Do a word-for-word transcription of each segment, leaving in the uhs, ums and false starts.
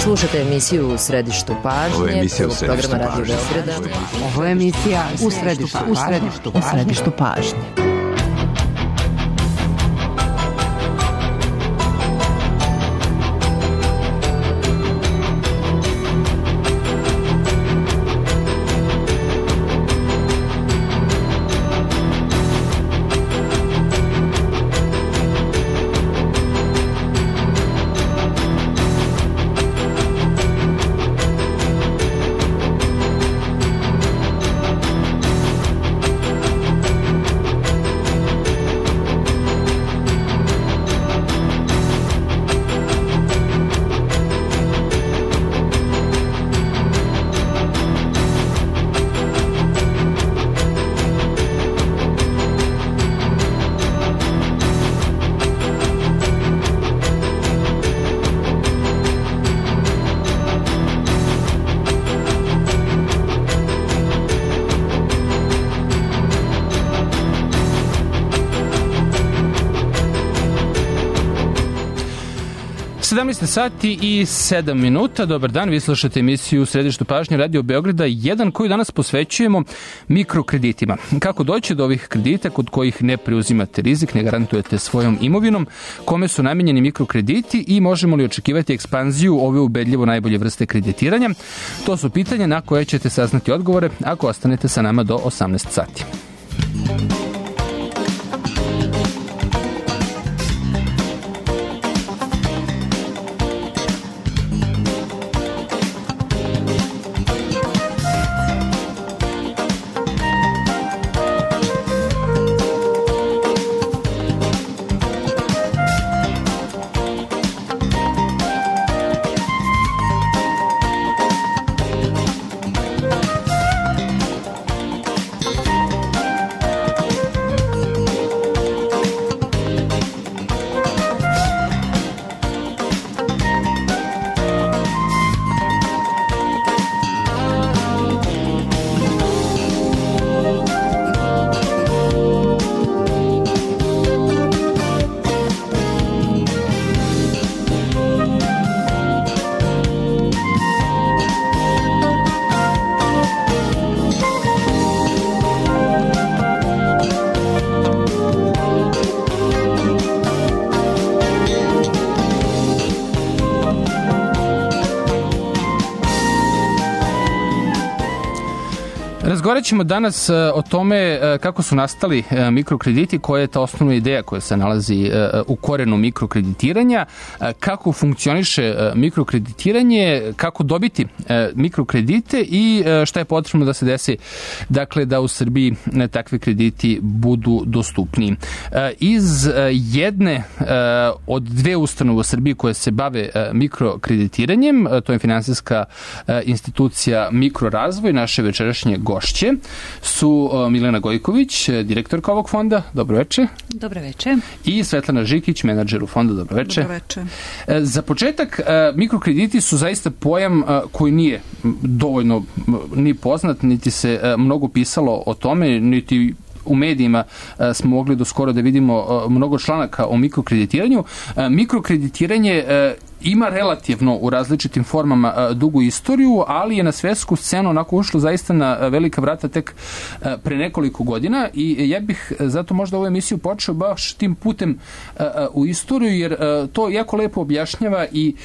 Slušajte emisiju U središtu pažnje. Ovo je emisija U središtu programa Radio pažnje. Beograda. Ovo je emisija U središtu pažnje. U središtu pažnje. U središtu pažnje. sedamnaest sati i sedam minuta. Dobar dan, vi slušate emisiju U središtu pažnje Radio Beograda jedan, koju danas posvećujemo mikrokreditima. Kako doći do ovih kredita kod kojih ne preuzimate rizik, ne garantujete svojom imovinom, kome su namenjeni mikrokrediti i možemo li očekivati ekspanziju ove ubedljivo najbolje vrste kreditiranja? To su pitanja na koje ćete saznati odgovore ako ostanete sa nama do osamnaest sati. Razgovarat ćemo danas o tome kako su nastali mikrokrediti, koja je ta osnovna ideja koja se nalazi u korenu mikrokreditiranja, kako funkcioniše mikrokreditiranje, kako dobiti mikrokredite i šta je potrebno da se desi, dakle, da u Srbiji takvi krediti budu dostupniji. Iz jedne od dve ustanove u Srbiji koje se bave mikrokreditiranjem, to je finansijska institucija Mikrorazvoj, naše večerašnje gošće su Milena Gojković, direktorka ovog fonda. Dobro veče. Dobro veče. I Svetlana Žikić, menadžer u fondu. Dobro veče. Dobro veče. Za početak, mikrokrediti su zaista pojam koji nije dovoljno ni poznat, niti se mnogo pisalo o tome, niti u medijima smo mogli do skoro da vidimo mnogo članaka o mikrokreditiranju. Mikrokreditiranje ima relativno u različitim formama dugu istoriju, ali je na svetsku scenu onako ušlo zaista na velika vrata tek pre nekoliko godina i ja bih zato možda ovu emisiju počeo baš tim putem u istoriju, jer to jako lepo objašnjava i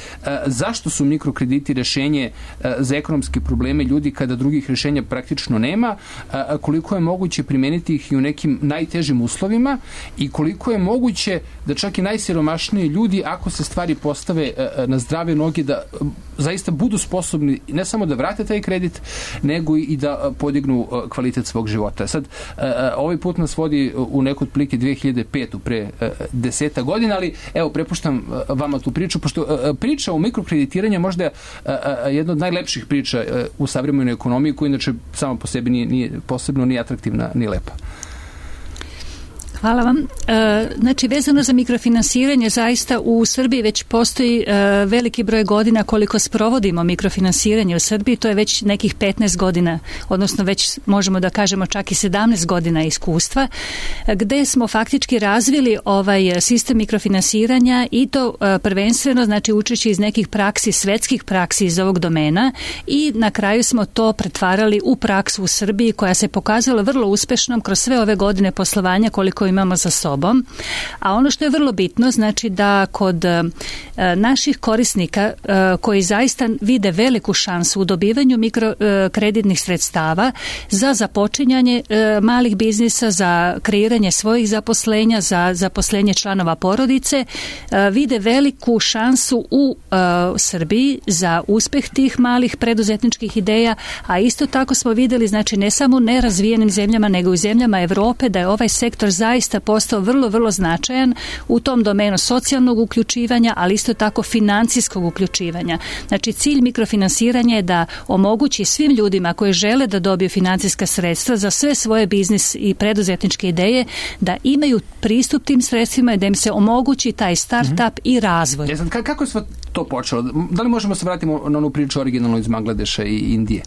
zašto su mikrokrediti rešenje za ekonomske probleme ljudi kada drugih rešenja praktično nema, koliko je moguće primeniti ih i u nekim najtežim uslovima i koliko je moguće da čak i najsiromašniji ljudi, ako se stvari postave na zdrave noge, da zaista budu sposobni ne samo da vrate taj kredit, nego i da podignu kvalitet svog života. Sad, ovaj put nas vodi u neku otprilike dve hiljade pete. pre deseta godina, ali evo, prepuštam vama tu priču, pošto priča o mikrokreditiranju možda je jedna od najlepših priča u savremenoj ekonomiji, koja inače sama po sebi nije, nije posebno ni atraktivna, ni lepa. Hvala vam. E, znači, vezano za mikrofinansiranje, zaista u Srbiji već postoji e, veliki broj godina koliko sprovodimo mikrofinansiranje u Srbiji, to je već nekih petnaest godina, odnosno već možemo da kažemo čak i sedamnaest godina iskustva, gde smo faktički razvili ovaj sistem mikrofinansiranja i to e, prvenstveno, znači učeći iz nekih praksi, svetskih praksi iz ovog domena i na kraju smo to pretvarali u praksu u Srbiji koja se pokazala vrlo uspešnom kroz sve ove godine poslovanja koliko imamo za sobom. A ono što je vrlo bitno, znači da kod e, naših korisnika e, koji zaista vide veliku šansu u dobivanju mikrokreditnih sredstava za započinjanje e, malih biznisa, za kreiranje svojih zaposlenja, za zaposlenje članova porodice, e, vide veliku šansu u e, Srbiji za uspeh tih malih preduzetničkih ideja, a isto tako smo videli, znači ne samo u nerazvijenim zemljama, nego i u zemljama Evrope, da je ovaj sektor zaista postao vrlo, vrlo značajan u tom domenu socijalnog uključivanja, ali isto tako financijskog uključivanja. Znači, cilj mikrofinansiranja je da omogući svim ljudima koji žele da dobiju financijska sredstva za sve svoje biznis i preduzetničke ideje, da imaju pristup tim sredstvima i da im se omogući taj start-up mm-hmm. i razvoj. Ja, sad, kako je sve to počelo? Da li možemo se vratiti na onu priču originalno iz Bangladeša i Indije?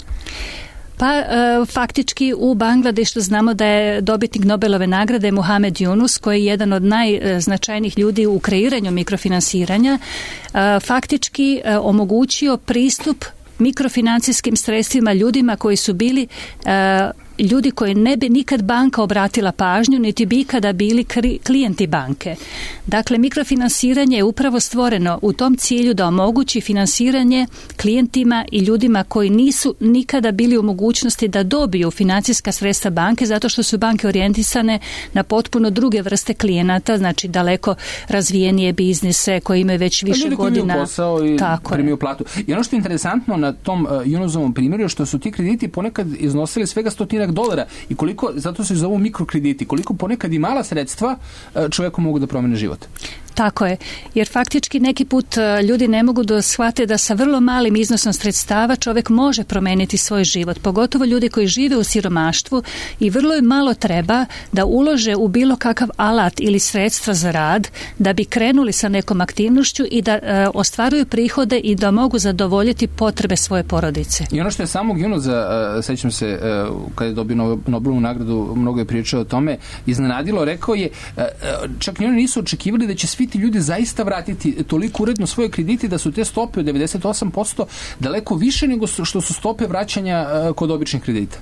Pa e, faktički u Bangladešu znamo da je dobitnik Nobelove nagrade Muhammad Yunus, koji je jedan od najznačajnijih ljudi u kreiranju mikrofinansiranja, e, faktički e, omogućio pristup mikrofinancijskim sredstvima ljudima koji su bili e, ljudi koji ne bi nikad banka obratila pažnju, niti bi ikada bili klijenti banke. Dakle, mikrofinansiranje je upravo stvoreno u tom cilju da omogući finansiranje klijentima i ljudima koji nisu nikada bili u mogućnosti da dobiju financijska sredstva banke, zato što su banke orijentisane na potpuno druge vrste klijenata, znači daleko razvijenije biznise koji imaju već više ljudi godina. Ljudi koji imaju posao i tako primiju platu. I ono što je interesantno na tom uh, Yunusovom primjeru je što su ti krediti ponekad iznosili svega stotina dolara i koliko, zato se zovu mikrokrediti, koliko ponekad i mala sredstva čovjeku mogu da promene život. Tako je, jer faktički neki put ljudi ne mogu da shvate da sa vrlo malim iznosom sredstava čovjek može promeniti svoj život, pogotovo ljudi koji žive u siromaštvu i vrlo im malo treba da ulože u bilo kakav alat ili sredstva za rad da bi krenuli sa nekom aktivnošću i da e, ostvaruju prihode i da mogu zadovoljiti potrebe svoje porodice. I ono što je samog Yunusa, uh, sećam se, uh, kada je dobio Nobelovu nagradu, mnogo je pričao o tome, iznenadilo, rekao je, uh, čak ni oni nisu očekivali da će svi ti ljudi zaista vratiti toliko uredno svoje kredite da su te stope od devedeset osam posto daleko više nego što su stope vraćanja uh, kod običnih kredita.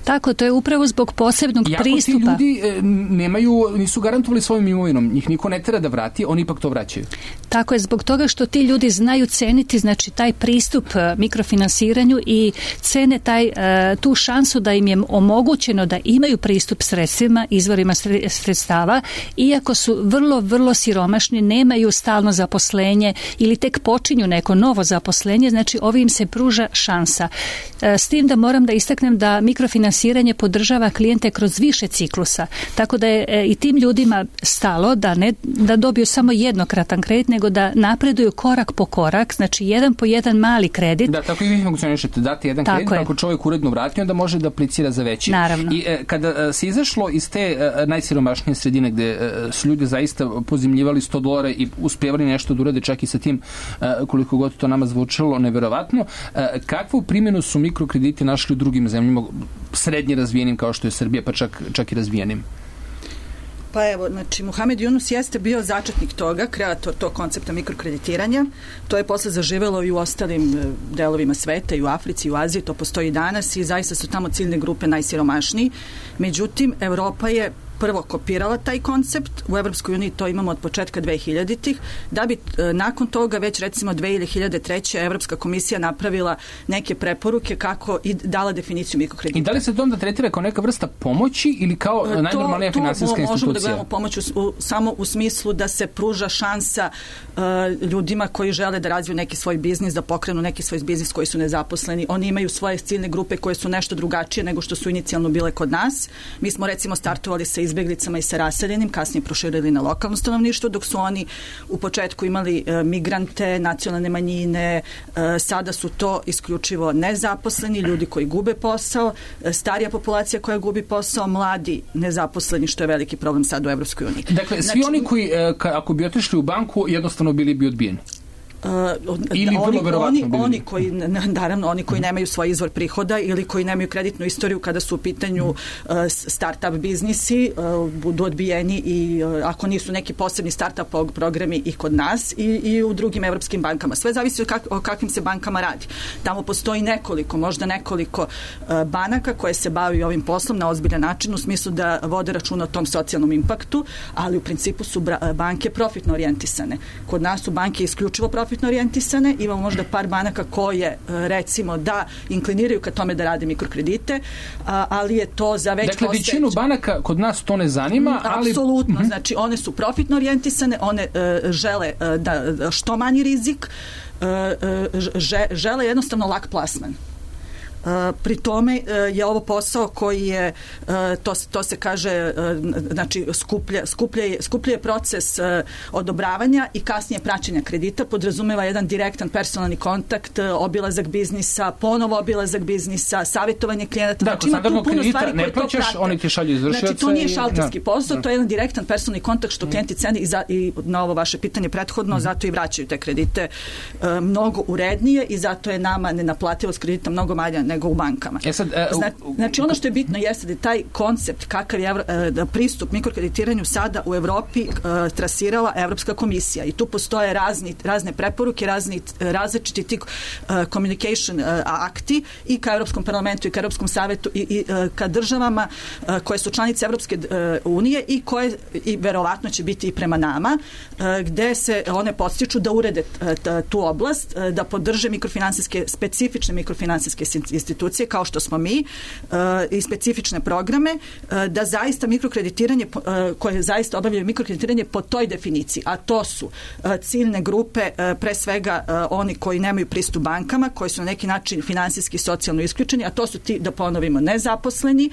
Tako, to je upravo zbog posebnog Iako pristupa. Iako ti ljudi uh, nemaju, nisu garantovali svojim imovinom, njih niko ne tera da vrati, oni ipak to vraćaju. Tako je, zbog toga što ti ljudi znaju ceniti, znači taj pristup uh, mikrofinansiranju i cene taj, uh, tu šansu da im je omogućeno da imaju pristup sredstvima, izvorima sredstava, iako su vrlo, vrlo siromašni, nemaju stalno zaposlenje ili tek počinju neko novo zaposlenje, znači ovim se pruža šansa. S tim da moram da istaknem da mikrofinansiranje podržava klijente kroz više ciklusa, tako da je i tim ljudima stalo da ne da dobiju samo jednokratan kredit, nego da napreduju korak po korak, znači jedan po jedan mali kredit. Da, tako i vi funkcionišete, dati jedan tako kredit, je. Ako čovjek uredno vrati, onda može da aplicira za veći. Naravno. I e, kada se izašlo iz te e, najsiromašnije sredine gde e, su ljudi zaista pozimljivali sto dolara i uspjevali nešto da urade čak i sa tim e, koliko god to nama zvučalo neverovatno, e, kakvu primjenu su mikrokrediti našli u drugim zemljama, srednje razvijenim kao što je Srbija, pa čak, čak i razvijenim? Pa evo, znači, Muhammad Yunus jeste bio začetnik toga, kreator tog koncepta mikrokreditiranja. To je posle zaživelo i u ostalim delovima sveta, i u Africi, i u Aziji, to postoji i danas i zaista su tamo ciljne grupe najsiromašniji. Međutim, Evropa je prvo kopirala taj koncept, u Evropskoj uniji to imamo od početka dve hiljaditih, da bi e, nakon toga već recimo dve hiljade treće. Evropska komisija napravila neke preporuke kako i dala definiciju mikrokredita. I da li se to onda tretira kao neka vrsta pomoći ili kao e, najnormalnija finansijska institucija? To možemo da gledamo pomoć u, u, samo u smislu da se pruža šansa e, ljudima koji žele da razviju neki svoj biznis, da pokrenu neki svoj biznis koji su nezaposleni. Oni imaju svoje ciljne grupe koje su nešto drugačije nego što su inicijalno bile kod nas. Mi smo recimo startovali sa izbjeglicama i sa raseljenim, kasnije proširili na lokalno stanovništvo, dok su oni u početku imali e, migrante, nacionalne manjine, e, sada su to isključivo nezaposleni, ljudi koji gube posao, e, starija populacija koja gubi posao, mladi nezaposleni, što je veliki problem sad u Evropskoj uniji. Dakle, svi znači, oni koji, e, ka, ako bi otišli u banku, jednostavno bili bi odbijeni. Uh, ili oni, oni, bili. oni koji naravno oni koji nemaju svoj izvor prihoda ili koji nemaju kreditnu istoriju kada su u pitanju uh, start-up biznisi uh, budu odbijeni i uh, ako nisu neki posebni start-up programi i kod nas i, i u drugim evropskim bankama. Sve zavisi o, kak, o kakvim se bankama radi. Tamo postoji nekoliko, možda nekoliko uh, banaka koje se bavi ovim poslom na ozbiljan način u smislu da vode računa o tom socijalnom impaktu, ali u principu su bra, banke profitno orijentisane. Kod nas su banke isključivo profitno orijentisane, imamo možda par banaka koje recimo da inkliniraju ka tome da rade mikrokredite, ali je to za već dakle, postojeće. Većinu banaka kod nas to ne zanima, ali... Apsolutno, mm-hmm. znači one su profitno orijentisane, one uh, žele uh, da što manji rizik, uh, uh, žele jednostavno lak plasman. Uh, pri tome uh, je ovo posao koji je uh, to, to se kaže uh, znači skuplja, skuplja, je, skuplja je proces uh, odobravanja i kasnije praćenja kredita, podrazumeva jedan direktan personalni kontakt, uh, obilazak biznisa, ponovo obilazak biznisa, savjetovanje klijenata. Da, znači ima tu puno stvari ne plaćaš, oni ti šalju izvršioca. Znači to nije šalterski i, posao, da. To je jedan direktan personalni kontakt što klijenti cene i, za, i na ovo vaše pitanje prethodno, mm. zato i vraćaju te kredite uh, mnogo urednije i zato je nama nenaplativost kredita mnogo manja nego u bankama. E sad, uh, znači, znači ono što je bitno jeste da taj koncept kakav je uh, pristup mikrokreditiranju sada u Evropi uh, trasirala Evropska komisija i tu postoje razni, razne preporuke, razni, različiti ti uh, communication uh, akti i ka Evropskom parlamentu i ka Evropskom savetu i, i uh, ka državama uh, koje su članice Evropske uh, unije i koje i verovatno će biti i prema nama uh, gde se one podstiču da urede uh, tu oblast, uh, da podrže mikrofinansijske, specifične mikrofinansijske institucije kao što smo mi uh, i specifične programe uh, da zaista mikrokreditiranje uh, koje zaista obavljaju mikrokreditiranje po toj definiciji, a to su uh, ciljne grupe uh, pre svega uh, oni koji nemaju pristup bankama, koji su na neki način finansijski i socijalno isključeni, a to su ti, da ponovimo, nezaposleni,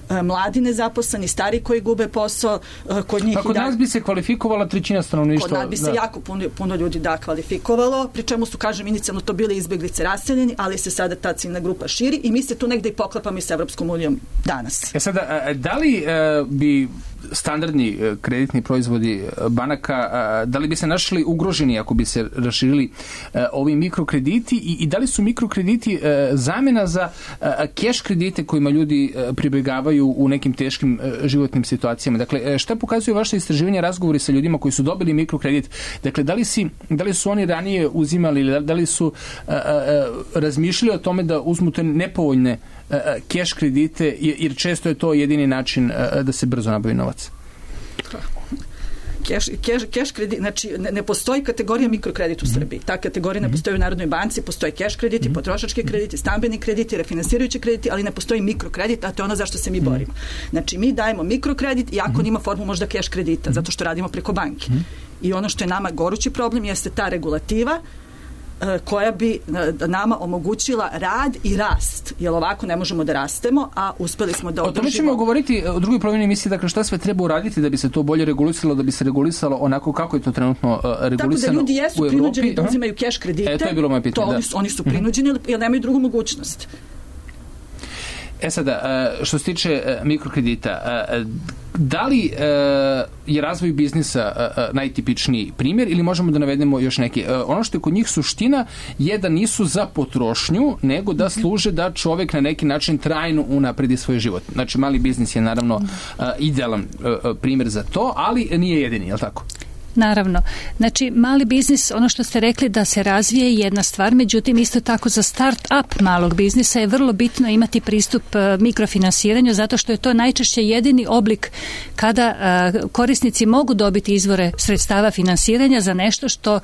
uh, mladi nezaposleni, stari koji gube posao, uh, kod njih... Pa kod da, nas bi se kvalifikovala trećina stanovništva. Kod nas bi se da. jako puno, puno ljudi da kvalifikovalo, pri čemu su, kažem, inicijalno to bili izbjeglice raseljeni, ali se sada ta ciljna grupa širi i mi se tu negde i poklapamo i s Evropskom unijom danas. E sada, da li uh, bi standardni uh, kreditni proizvodi uh, banaka, uh, da li bi se našli ugroženi ako bi se raširili uh, ovi mikrokrediti i, i da li su mikrokrediti uh, zamena za uh, keš kredite kojima ljudi uh, pribegavaju u nekim teškim uh, životnim situacijama? Dakle, uh, šta pokazuju vaše istraživanja, razgovori sa ljudima koji su dobili mikrokredit? Dakle, da li, si, da li su oni ranije uzimali ili da li su uh, uh, razmišljali o tome da uzmu te nepovoljne keš kredite, jer često je to jedini način da se brzo nabavi novac? Keš, keš, keš kredit, znači ne, ne postoji kategorija mikrokredit u mm-hmm. Srbiji. Ta kategorija ne postoji u Narodnoj banci, postoje keš krediti, mm-hmm. potrošački krediti, stambeni krediti, refinansirajući krediti, ali ne postoji mikrokredit, a to je ono zašto se mi borimo. Znači mi dajemo mikrokredit iako mm-hmm. nima formu možda keš kredita, zato što radimo preko banke. Mm-hmm. I ono što je nama gorući problem jeste ta regulativa koja bi nama omogućila rad i rast, jer ovako ne možemo da rastemo, a uspeli smo da održimo. O tome ćemo govoriti u drugoj polovini emisije, dakle šta sve treba uraditi da bi se to bolje regulisalo, da bi se regulisalo onako kako je to trenutno uh, regulisano tako da ljudi jesu u Evropi. Prinuđeni da uzimaju keš kredite. E, to je bilo moje pitanje, to da. Oni su, oni su prinuđeni mm-hmm. jer nemaju drugu mogućnost. E sada, što se tiče mikrokredita, da li je razvoj biznisa najtipičniji primjer ili možemo da navedemo još neki? Ono što je kod njih suština je da nisu za potrošnju, nego da služe da čovjek na neki način trajno unapredi svoj život. Znači, mali biznis je naravno idealan primjer za to, ali nije jedini, je li tako? Naravno. Znači, mali biznis, ono što ste rekli da se razvije je jedna stvar, međutim, isto tako za start-up malog biznisa je vrlo bitno imati pristup uh, mikrofinansiranju, zato što je to najčešće jedini oblik kada uh, korisnici mogu dobiti izvore sredstava finansiranja za nešto što uh,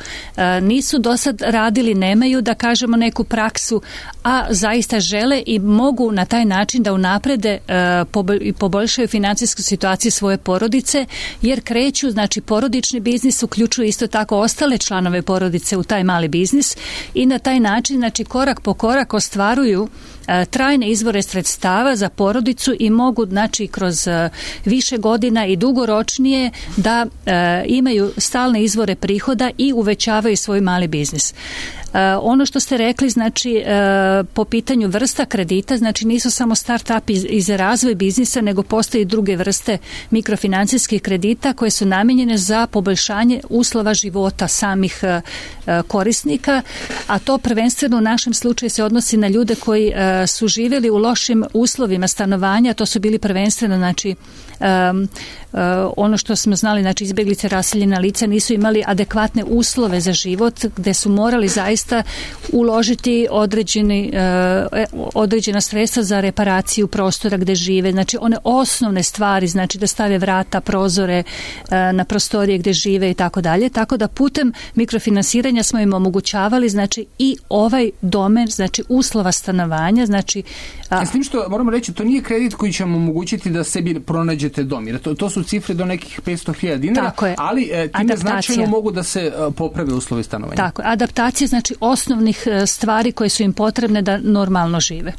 nisu do sad radili, nemaju, da kažemo, neku praksu, a zaista žele i mogu na taj način da unaprede uh, i poboljšaju financijsku situaciju svoje porodice, jer kreću, znači, porodični biznis biznis uključuje isto tako ostale članove porodice u taj mali biznis i na taj način, znači, korak po korak ostvaruju trajne izvore sredstava za porodicu i mogu, znači, kroz više godina i dugoročnije da imaju stalne izvore prihoda i uvećavaju svoj mali biznis. Uh, ono što ste rekli, znači uh, po pitanju vrsta kredita, znači nisu samo start-up iz, iz razvoj biznisa, nego postoje i druge vrste mikrofinancijskih kredita koje su namijenjene za poboljšanje uslova života samih uh, korisnika, a to prvenstveno u našem slučaju se odnosi na ljude koji uh, su živjeli u lošim uslovima stanovanja, to su bili prvenstveno, znači Um, uh, ono što smo znali, znači izbjeglice, raseljena lica nisu imali adekvatne uslove za život, gde su morali zaista uložiti određeni, uh, određena sredstva za reparaciju prostora gde žive, znači one osnovne stvari, znači da stave vrata, prozore uh, na prostorije gde žive i tako dalje, tako da putem mikrofinansiranja smo im omogućavali, znači i ovaj domen, znači uslova stanovanja, znači a... S tim što moramo reći, to nije kredit koji će vam omogućiti da sebi pronađete dom, jer to, to su cifre do nekih petsto hiljada dinara, ali e, time značajno mogu da se e, poprave uslovi stanovanja. Tako, adaptacija, znači osnovnih e, stvari koje su im potrebne da normalno žive.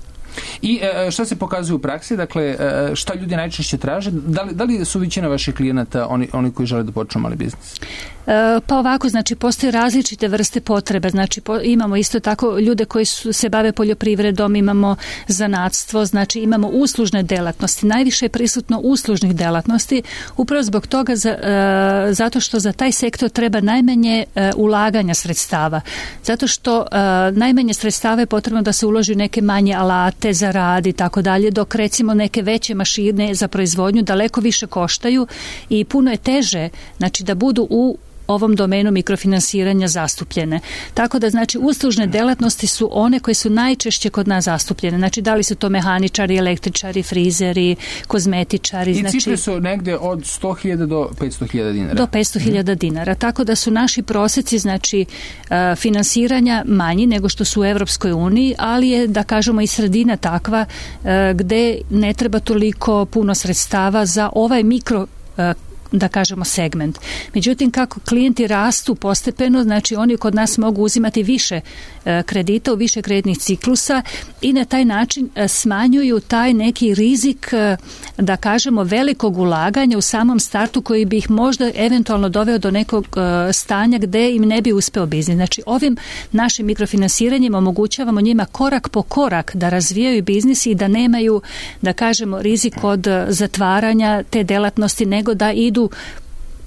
I e, šta se pokazuje u praksi? Dakle, e, šta ljudi najčešće traže? Da li, da li su većina vaših klijenata oni, oni koji žele da počnu mali biznis? E, pa ovako, znači postoje različite vrste potrebe, znači po, imamo isto tako ljude koji su, se bave poljoprivredom, imamo zanatstvo, znači imamo uslužne delatnosti, najviše je prisutno uslužnih delatnosti, upravo zbog toga za, e, zato što za taj sektor treba najmanje e, ulaganja sredstava, zato što e, najmanje sredstava je potrebno da se uloži neke manje alate za rad i tako dalje, dok recimo neke veće mašine za proizvodnju daleko više koštaju i puno je teže, znači da budu u ovom domenu mikrofinansiranja zastupljene. Tako da, znači, uslužne delatnosti su one koje su najčešće kod nas zastupljene. Znači, da li su to mehaničari, električari, frizeri, kozmetičari. I znači, cifre su negde od sto hiljada do petsto hiljada dinara. Do petsto hiljada dinara. Tako da su naši proseci, znači, uh, finansiranja manji nego što su u Evropskoj uniji, ali je, da kažemo, i sredina takva uh, gde ne treba toliko puno sredstava za ovaj mikro uh, da kažemo segment. Međutim, kako klijenti rastu postepeno, znači oni kod nas mogu uzimati više e, kredita u više kreditnih ciklusa i na taj način e, smanjuju taj neki rizik, e, da kažemo, velikog ulaganja u samom startu koji bi ih možda eventualno doveo do nekog e, stanja gde im ne bi uspeo biznis. Znači, ovim našim mikrofinansiranjem omogućavamo njima korak po korak da razvijaju biznis i da nemaju, da kažemo, rizik od zatvaranja te delatnosti, nego da idu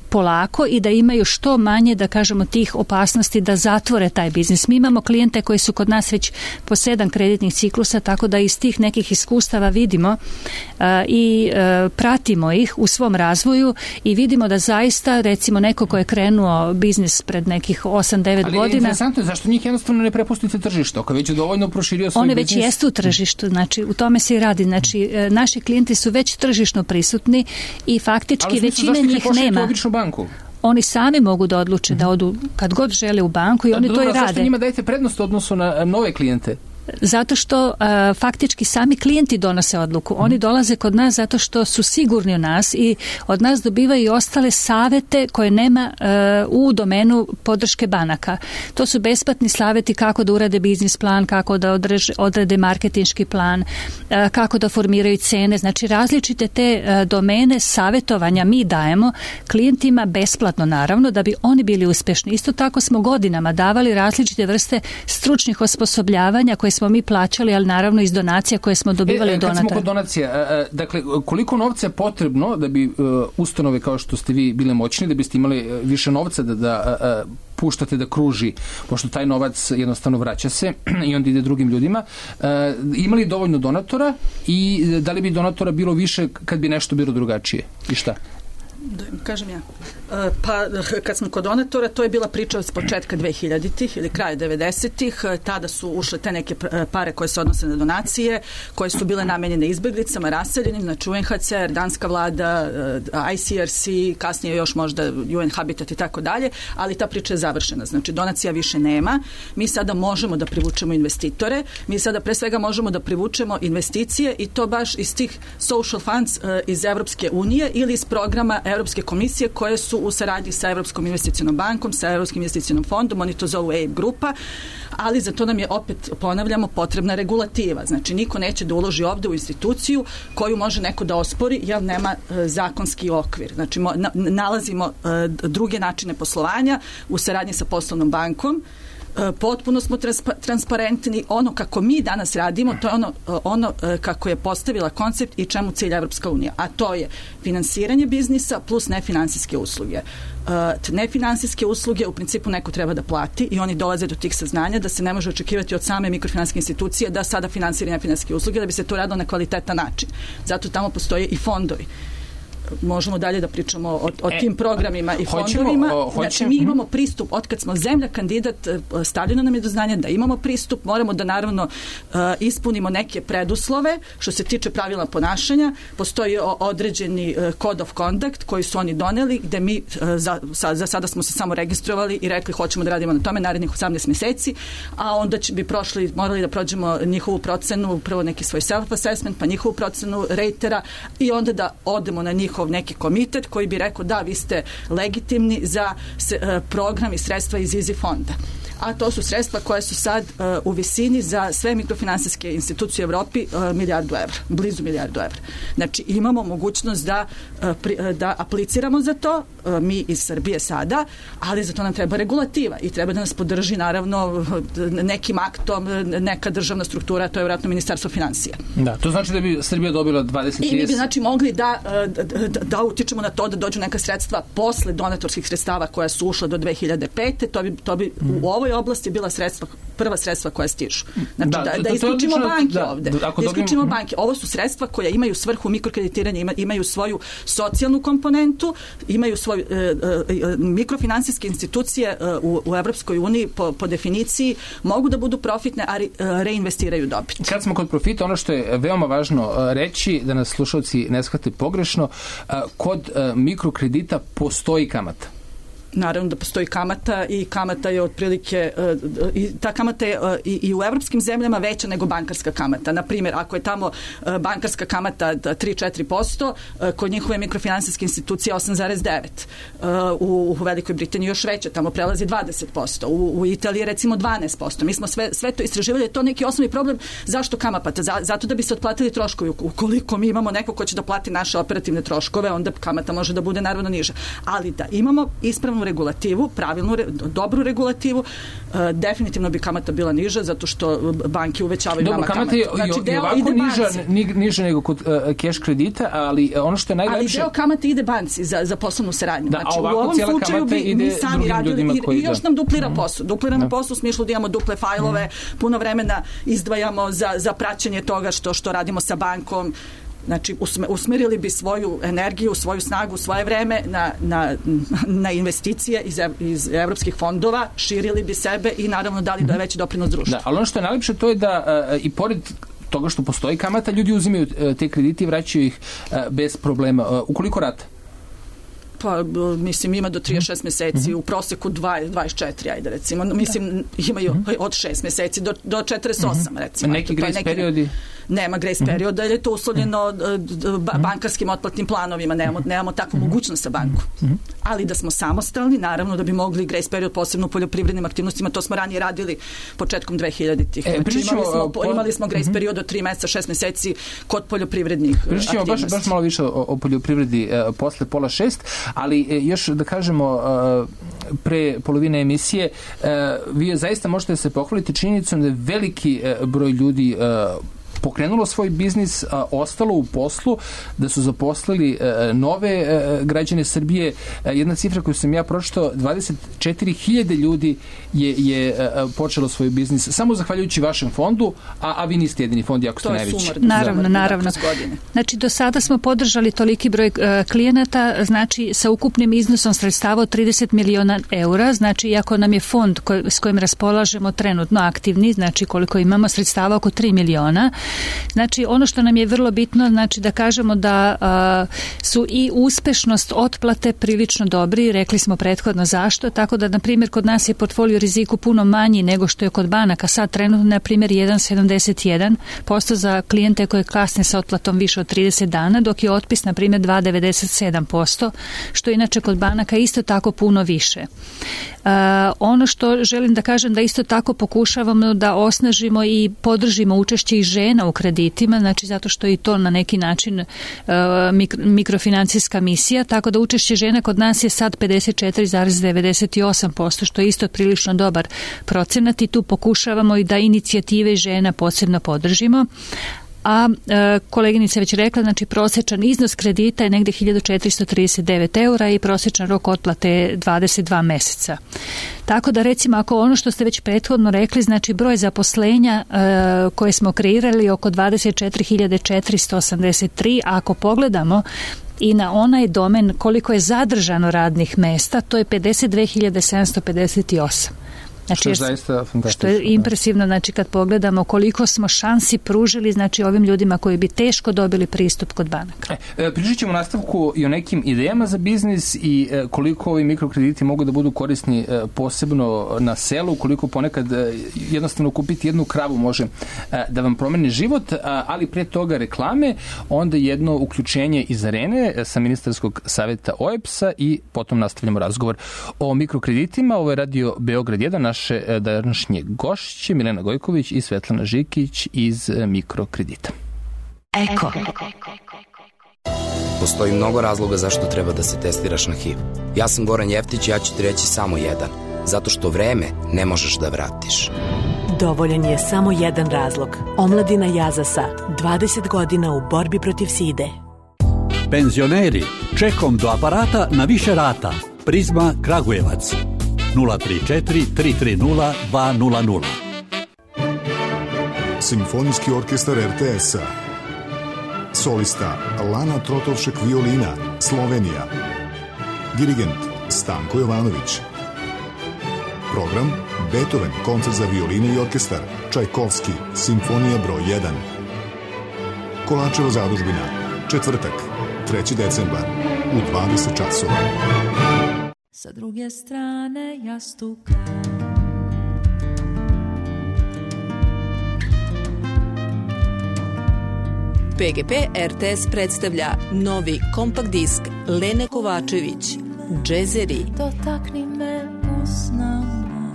polako i da imaju što manje, da kažemo, tih opasnosti da zatvore taj biznis. Mi imamo klijente koji su kod nas već po sedam kreditnih ciklusa, tako da iz tih nekih iskustava vidimo uh, i uh, pratimo ih u svom razvoju i vidimo da zaista, recimo, neko ko je krenuo biznis pred nekih osam devet godina... Ali je interesantno, zašto njih jednostavno ne prepustite tržište? Ako već je dovoljno proširio svoj one biznis... One već jesu u tržištu, znači u tome se i radi. Znači, uh, naši klijenti su već tržišno prisutni i faktički većina njih nema. Banku. Oni sami mogu da odluče mm-hmm. da odu kad god žele u banku i oni Dobro, to i rade. Zašto njima dajete prednost u odnosu na nove klijente? Zato što uh, faktički sami klijenti donose odluku. Oni mm. dolaze kod nas zato što su sigurni u nas i od nas dobivaju i ostale savete koje nema uh, u domenu podrške banaka. To su besplatni saveti kako da urade biznis plan, kako da odreže, odrede marketinški plan, uh, kako da formiraju cene. Znači, različite te uh, domene savetovanja mi dajemo klijentima besplatno, naravno, da bi oni bili uspešni. Isto tako smo godinama davali različite vrste stručnih osposobljavanja koje smo mi plaćali, ali naravno iz donacija koje smo dobivali e, od donatora. Kad smo kod donacija, dakle, koliko novca je potrebno da bi ustanove kao što ste vi bile moćni, da biste imali više novca da, da puštate da kruži, pošto taj novac jednostavno vraća se i onda ide drugim ljudima, imali dovoljno donatora i da li bi donatora bilo više kad bi nešto bilo drugačije? I šta? Da, kažem ja. Pa kad smo kod donatora, to je bila priča od početka dvehiljaditih ili kraja devedesetih. Tada su ušle te neke pare koje se odnose na donacije, koje su bile namenjene izbeglicama, raseljenim, znači U N H C R, danska vlada, I C R C, kasnije još možda U N Habitat i tako dalje, ali ta priča je završena. Znači, donacija više nema. Mi sada možemo da privučemo investitore. Mi sada pre svega možemo da privučemo investicije i to baš iz tih social funds iz Evropske unije ili iz programa Europske komisije koje su u saradnji sa Europskom investicionom bankom, sa Europskim investicionom fondom, oni to zovu E I B grupa, ali za to nam je, opet ponavljamo, potrebna regulativa. Znači, niko neće da uloži ovde u instituciju koju može neko da ospori jer nema e, zakonski okvir. Znači, mo, na, nalazimo e, druge načine poslovanja u saradnji sa poslovnom bankom. Potpuno smo transpa- transparentni. Ono kako mi danas radimo, to je ono, ono kako je postavila koncept i čemu cilja Evropska unija. A to je finansiranje biznisa plus nefinansijske usluge. Nefinansijske usluge u principu neko treba da plati i oni dolaze do tih saznanja da se ne može očekivati od same mikrofinansijske institucije da sada finansira nefinansijske usluge, da bi se to radilo na kvalitetan način. Zato tamo postoje i fondovi. Možemo dalje da pričamo o, o tim programima i fondovima. Hoćemo, znači, mi imamo pristup, otkad smo zemlja kandidat, stavljeno nam je do znanja da imamo pristup, moramo da naravno uh, ispunimo neke preduslove što se tiče pravila ponašanja. Postoji određeni uh, code of conduct koji su oni doneli, gde mi uh, za, sa, za sada smo se samo registrovali i rekli hoćemo da radimo na tome narednih osamnaest meseci, a onda će bi prošli, morali da prođemo njihovu procenu, prvo neki svoj self-assessment, pa njihovu procenu ratera i onda da odemo na njih neki komitet koji bi rekao da vi ste legitimni za se, uh, program i sredstva iz Easy fonda. A to su sredstva koje su sad uh, u visini za sve mikrofinansijske institucije u Evropi uh, milijardu evra, blizu milijardu evra. Znači imamo mogućnost da, uh, pri, uh, da apliciramo za to, uh, mi iz Srbije sada, ali za to nam treba regulativa i treba da nas podrži naravno nekim aktom, neka državna struktura, to je vjerojatno Ministarstvo finansija. Da, to znači da bi Srbija dobila dvadeset trideset... I mi bi znači mogli da, da, da, da utičemo na to da dođu neka sredstva posle donatorskih sredstava koja su ušla do dve hiljade pete, to bi, to bi mm. u ovoj oblasti bila sredstva, prva sredstva koja stižu. Znači da, da, da isključimo to, banke da, ovde. Da, da isključimo dobim... banke. Ovo su sredstva koja imaju svrhu mikrokreditiranja, ima, imaju svoju socijalnu komponentu, imaju svoju e, e, mikrofinansijske institucije e, u, u Evropskoj uniji po, po definiciji mogu da budu profitne, a re, reinvestiraju dobit. Kad smo kod profita, ono što je veoma važno reći, da nas slušalci ne shvate pogrešno, kod mikrokredita postoji kamata. Naravno da postoji kamata i kamata je otprilike i ta kamata je i, i u evropskim zemljama veća nego bankarska kamata. Na primjer, ako je tamo bankarska kamata tri do četiri posto, kod njihove mikrofinansijske institucije osam zarez devet. U, u Velikoj Britaniji još veća, tamo prelazi dvadeset posto. U, u Italiji recimo dvanaest posto. Mi smo sve, sve to istraživali, je to neki osnovni problem. Zašto kamata? Zato da bi se otplatili troškovi. Ukoliko mi imamo neko ko će da plati naše operativne troškove, onda kamata može da bude naravno niža. Ali da imamo ispravnu regulativu, pravilnu, dobru regulativu, uh, definitivno bi kamata bila niža, zato što banke uvećavaju Dobro, nama kamatu. Dobro, kamata je i ovako niža, niža nego kod uh, cash kredita, ali ono što je najlepše... Ali deo kamate ide banci za, za poslovnu saradnju. Da, znači, a ovako u ovom slučaju bi mi sami radili i, i još nam duplira posao. Duplira nam posao u smislu da imamo duple fajlove, mm. puno vremena izdvajamo za, za praćenje toga što, što radimo sa bankom. Znači, usmerili bi svoju energiju, svoju snagu, svoje vreme na, na, na investicije iz, iz evropskih fondova, širili bi sebe i naravno dali da je veći doprinos društvu. Da, ali ono što je najlepše to je da uh, i pored toga što postoji kamata, ljudi uzimaju uh, te kredite i vraćaju ih uh, bez problema. Uh, ukoliko rata? Pa, mislim, ima do trideset šest meseci, mm-hmm. u proseku dvadeset četiri, ajde recimo. Mislim, imaju mm-hmm. od šest meseci do, do četrdeset osam, mm-hmm. recimo. Neki grace neki, periodi? Nema grace mm-hmm. perioda, jer je to uslovljeno mm-hmm. bankarskim otplatnim planovima. Nemamo, nemamo takvu mm-hmm. mogućnost sa bankom. Mm-hmm. Ali da smo samostalni, naravno da bi mogli grace period posebno u poljoprivrednim aktivnostima, to smo ranije radili početkom dve hiljaditih. E, znači, imali smo, po, imali smo grace mm-hmm. period od tri meseca, šest meseci kod poljoprivrednih pričamo aktivnosti. Baš, baš malo više o, o poljoprivredi uh, posle pola šest, ali još da kažemo pre polovine emisije, vi zaista možete se pohvaliti činjenicom da je veliki broj ljudi pokrenulo svoj biznis, a, ostalo u poslu, da su zaposlili a, nove a, građane Srbije. A, jedna cifra koju sam ja pročitao, dvadeset četiri hiljade ljudi je, je a, počelo svoj biznis samo zahvaljujući vašem fondu, a, a vi niste jedini fond, jako ste najveći. To je sumar. Naravno, za, naravno. Znači, do sada smo podržali toliki broj uh, klijenata, znači, sa ukupnim iznosom sredstava od trideset miliona eura, znači, iako nam je fond koj, s kojim raspolažemo trenutno aktivni, znači, koliko imamo sredstava oko tri miliona, Znači, ono što nam je vrlo bitno, znači da kažemo da a, su i uspešnost otplate prilično dobri, rekli smo prethodno zašto, tako da, na primjer, kod nas je portfolio riziku puno manji nego što je kod banaka. Sad trenutno, na primjer, jedan zarez sedamdeset jedan posto za klijente koje kasne sa otplatom više od trideset dana, dok je otpis, na primjer, dva zarez devedeset sedam posto, što inače kod banaka isto tako puno više. Uh, ono što želim da kažem, da isto tako pokušavamo da osnažimo i podržimo učešće i žena u kreditima, znači zato što je i to na neki način uh, mikro, mikrofinancijska misija, tako da učešće žena kod nas je sad pedeset četiri zarez devedeset osam posto, što je isto prilično dobar procenat i tu pokušavamo i da inicijative žena posebno podržimo. A e, koleginica je već rekla, znači prosječan iznos kredita je negdje hiljadu četiristo trideset devet eura i prosječan rok otplate je dvadeset dva meseca. Tako da, recimo, ako ono što ste već prethodno rekli, znači broj zaposlenja e, koje smo kreirali oko dvadeset četiri hiljade četiristo osamdeset tri, a ako pogledamo i na onaj domen koliko je zadržano radnih mesta, to je pedeset dve hiljade sedamsto pedeset osam. Znači, što je zaista fantastično. Što je impresivno, znači kad pogledamo koliko smo šansi pružili, znači ovim ljudima koji bi teško dobili pristup kod banaka. E, pričat ćemo u nastavku i o nekim idejama za biznis i e, koliko ovi mikrokrediti mogu da budu korisni e, posebno na selu, koliko ponekad e, jednostavno kupiti jednu kravu može e, da vam promeni život, a, ali pre toga reklame, onda jedno uključenje iz arene e, sa ministarskog savjeta O E P S-a i potom nastavljamo razgovor o mikrokreditima. Ovo je Radio Beograd jedan, naš naše današnje gošće Milena Gojković i Svetlana Žikić iz mikrokredita. Eko. Postoji mnogo razloga zašto treba da se testiraš na H I V. Ja sam Goran Jeftić i ja ću ti reći samo jedan. Zato što vreme ne možeš da vratiš. Dovoljan je samo jedan razlog. Omladina Jazasa. dvadeset godina u borbi protiv side. Penzioneri, čekom do aparata na više rata. Prizma Kragujevac. nula tri četiri tri tri nula dva nula nula. Simfonijski orkestar R T S-a. Solista Lana Trotovšek violina, Slovenija. Dirigent Stanko Jovanović. Program Beethoven, koncert za violinu i orkestar, Čajkovski, Simfonija broj jedan. Kolačeva zadužbina, četvrtak, treći decembar, u dvadeset časova. Sa druge strane jastuka. P G P R T S predstavlja novi kompakt disk Lene Kovačević, Džezeri. Dotakni me usnama.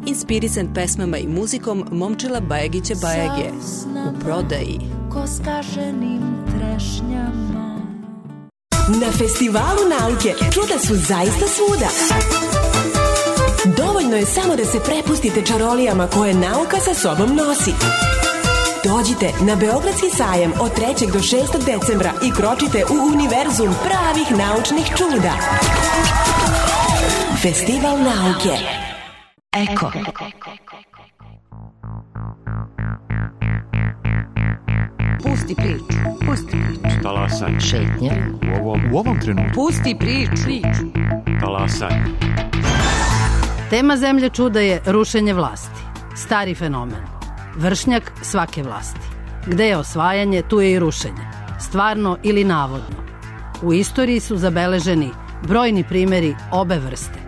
Inspirisan pesmama i muzikom Momčila Bajagića Bajage. U prodaji. Ko skaženim trešnjama. Na Festivalu nauke čuda su zaista svuda. Dovoljno je samo da se prepustite čarolijama koje nauka sa sobom nosi. Dođite na Beogradski sajam od trećeg do šestog decembra i kročite u univerzum pravih naučnih čuda. Festival nauke. Eko. Pusti priču. Pusti priču. Talasanje. Šetnje. U ovom, u ovom trenutku. Pusti priču. Talasanje. Tema Zemlje čuda je rušenje vlasti. Stari fenomen. Vršnjak svake vlasti. Gde je osvajanje, tu je i rušenje. Stvarno ili navodno. U istoriji su zabeleženi brojni primjeri obe vrste.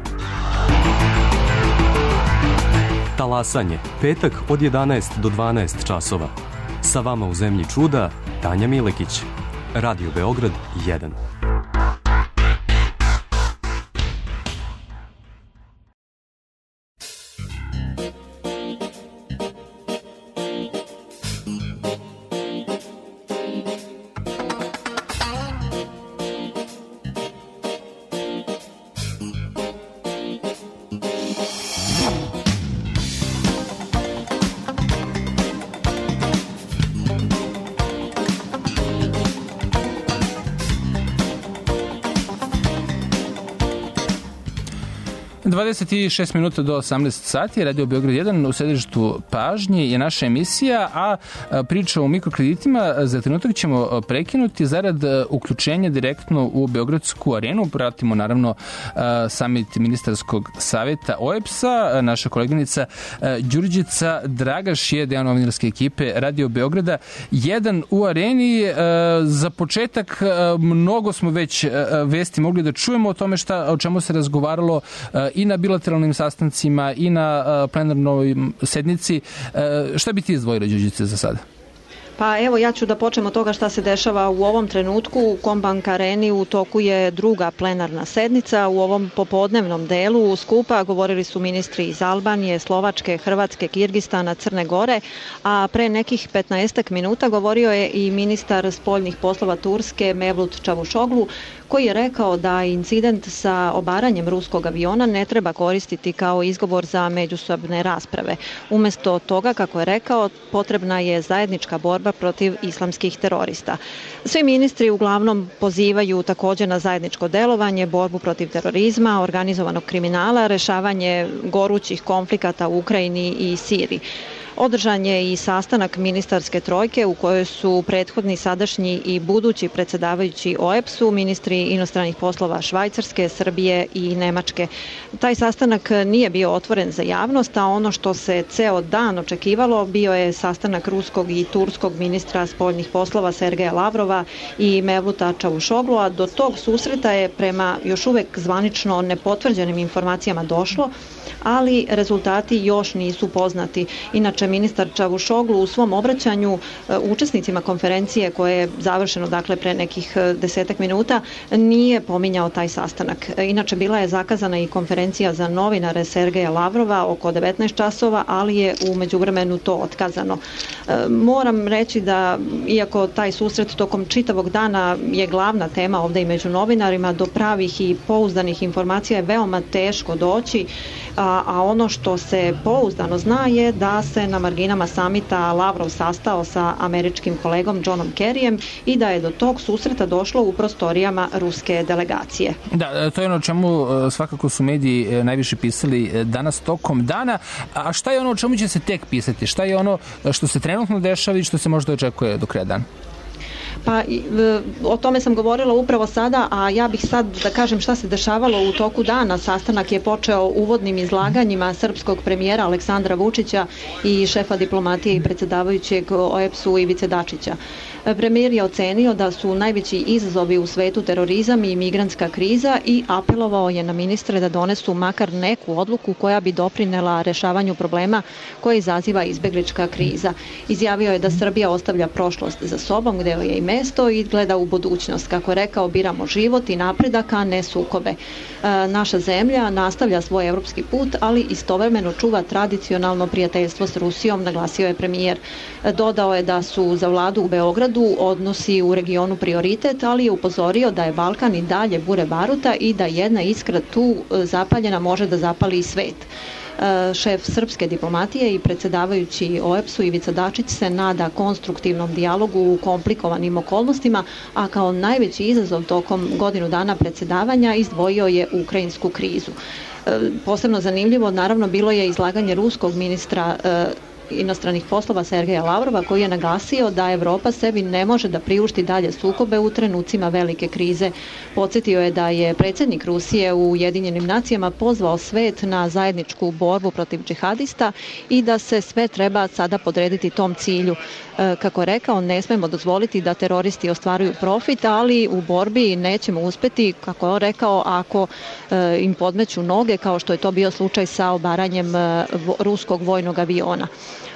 Talasanje. Petak od jedanaest do dvanaest časova. Sa vama u Zemlji čuda, Tanja Milekić. Radio Beograd jedan. dvadeset šest minuta do osamnaest sati, Radio Beograd jedan u sedištu pažnje je naša emisija, a priča o mikrokreditima za trenutak ćemo prekinuti zarad uključenja direktno u Beogradsku arenu. Pratimo naravno samit ministarskog saveta O E B S-a. Naša koleginica Đurđica Dragaš je deo novinarske ekipe Radio Beograda jedan u areni. Za početak mnogo smo već vesti mogli da čujemo o tome šta, o čemu se razgovaralo i na bilateralnim sastancima i na plenarnoj sednici. Šta bi ti izdvojila, Đurđice, za sada? Pa evo, ja ću da počnem od toga šta se dešava u ovom trenutku. U Kombank areni u toku je druga plenarna sednica. U ovom popodnevnom delu skupa govorili su ministri iz Albanije, Slovačke, Hrvatske, Kirgistana, Crne Gore, a pre nekih petnaestak minuta govorio je i ministar spoljnih poslova Turske Mevlut Čavuşoglu, koji je rekao da incident sa obaranjem ruskog aviona ne treba koristiti kao izgovor za međusobne rasprave. Umesto toga, kako je rekao, potrebna je zajednička borba protiv islamskih terorista. Svi ministri uglavnom pozivaju također na zajedničko delovanje, borbu protiv terorizma, organizovanog kriminala, rešavanje gorućih konflikata u Ukrajini i Siriji. Održan je i sastanak ministarske trojke u kojoj su prethodni, sadašnji i budući predsjedavajući O E B S-u, ministri inostranih poslova Švajcarske, Srbije i Nemačke. Taj sastanak nije bio otvoren za javnost, a ono što se ceo dan očekivalo bio je sastanak ruskog i turskog ministra spoljnih poslova Sergeja Lavrova i Mevluta Čavuşoglu, a do tog susreta je prema još uvek zvanično nepotvrđenim informacijama došlo, ali rezultati još nisu poznati. Inače, ministar Čavuşoglu u svom obraćanju učesnicima konferencije, koje je završeno dakle pre nekih desetak minuta, nije pominjao taj sastanak. Inače, bila je zakazana i konferencija za novinare Sergeja Lavrova oko devetnaest časova, ali je u međuvremenu to otkazano. Moram reći da, iako taj susret tokom čitavog dana je glavna tema ovde i među novinarima, do pravih i pouzdanih informacija je veoma teško doći, a, a ono što se pouzdano zna je da se na marginama samita Lavrov sastao sa američkim kolegom Johnom Kerryjem i da je do tog susreta došlo u prostorijama ruske delegacije. Da, to je ono o čemu svakako su mediji najviše pisali danas tokom dana. A šta je ono o čemu će se tek pisati? Šta je ono što se trenutno dešava i što se možda očekuje do kraja dana? Pa o tome sam govorila upravo sada, a ja bih sad da kažem šta se dešavalo u toku dana. Sastanak je počeo uvodnim izlaganjima srpskog premijera Aleksandra Vučića i šefa diplomatije i predsjedavajućeg O E B S-u Ivice Dačića. Premijer je ocenio da su najveći izazovi u svetu terorizam i migrantska kriza i apelovao je na ministre da donesu makar neku odluku koja bi doprinela rešavanju problema koje izaziva izbeglička kriza. Izjavio je da Srbija ostavlja prošlost za sobom, gde je i mesto, i gleda u budućnost. Kako je rekao, biramo život i napredak, a ne sukobe. E, naša zemlja nastavlja svoj evropski put, ali istovremeno čuva tradicionalno prijateljstvo s Rusijom, naglasio je premijer. E, dodao je da su za vladu u Beogradu odnosi u regionu prioritet, ali je upozorio da je Balkan i dalje bure baruta i da jedna iskra tu zapaljena može da zapali i svet. Šef srpske diplomatije i predsjedavajući O E B S-u Ivica Dačić se nada konstruktivnom dijalogu u komplikovanim okolnostima, a kao najveći izazov tokom godinu dana predsjedavanja izdvojio je ukrajinsku krizu. Posebno zanimljivo, naravno, bilo je izlaganje ruskog ministra inostranih poslova Sergeja Lavrova, koji je naglasio da Evropa sebi ne može da priušti dalje sukobe u trenucima velike krize. Podsjetio je da je predsjednik Rusije u Ujedinjenim nacijama pozvao svet na zajedničku borbu protiv džihadista i da se sve treba sada podrediti tom cilju. Kako je rekao, ne smemo dozvoliti da teroristi ostvaruju profit, ali u borbi nećemo uspeti, kako je rekao, ako im podmeću noge, kao što je to bio slučaj sa obaranjem ruskog vojnog aviona.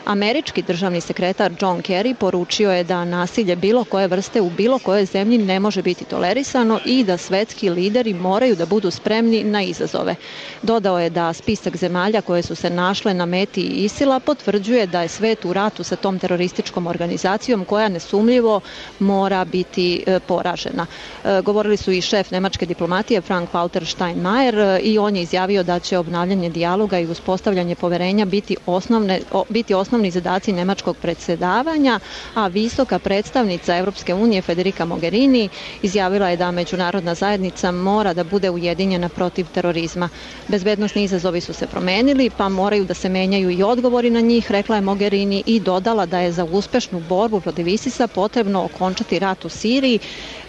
Američki državni sekretar John Kerry poručio je da nasilje bilo koje vrste u bilo kojoj zemlji ne može biti tolerisano i da svetski lideri moraju da budu spremni na izazove. Dodao je da spisak zemalja koje su se našle na meti ISIL-a potvrđuje da je svet u ratu sa tom terorističkom organizacijom koja nesumljivo mora biti e, poražena. E, govorili su i šef nemačke diplomatije Frank-Walter Steinmeier i on je izjavio da će obnavljanje dijaloga i uspostavljanje poverenja biti osnovne, o, biti biti osnovni zadaci nemačkog predsjedavanja, a visoka predstavnica Europske unije Federica Mogherini izjavila je da međunarodna zajednica mora da bude ujedinjena protiv terorizma. Bezbednosni izazovi su se promenili, pa moraju da se menjaju i odgovori na njih, rekla je Mogherini i dodala da je za uspešnu borbu protiv ISIS-a potrebno okončati rat u Siriji.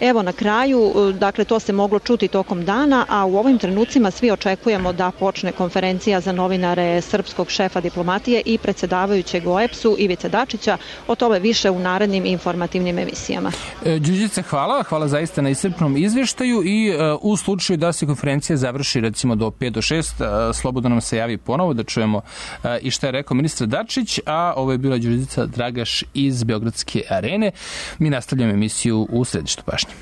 Evo na kraju, dakle to se moglo čuti tokom dana, a u ovim trenucima svi očekujemo da počne konferencija za novinare srpskog šefa diplomatije i predsjedavajućeg O E P S-u Ivice Dačića. O tome više u narednim informativnim emisijama. Đurđice, hvala. Hvala zaista na iscrpnom izveštaju i uh, u slučaju da se konferencija završi recimo do pet do šest, uh, slobodno nam se javi ponovo da čujemo uh, i šta je rekao ministar Dačić, a ovo je bila Đurđica Dragaš iz Beogradske arene. Mi nastavljamo emisiju u središtu pažnje.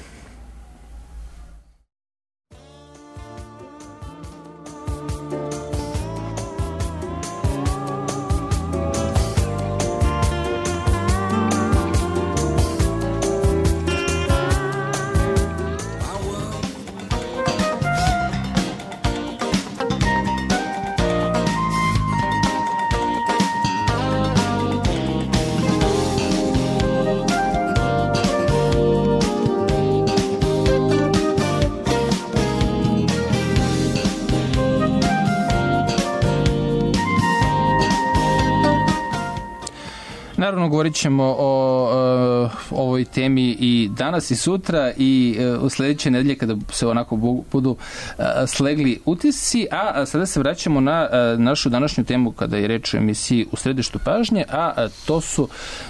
Naravno, govorit ćemo o, o ovoj temi i danas i sutra i u sljedeće nedelje kada se onako budu slegli utisci, a sada se vraćamo na našu današnju temu kada je reč o emisiji u središtu pažnje, a to su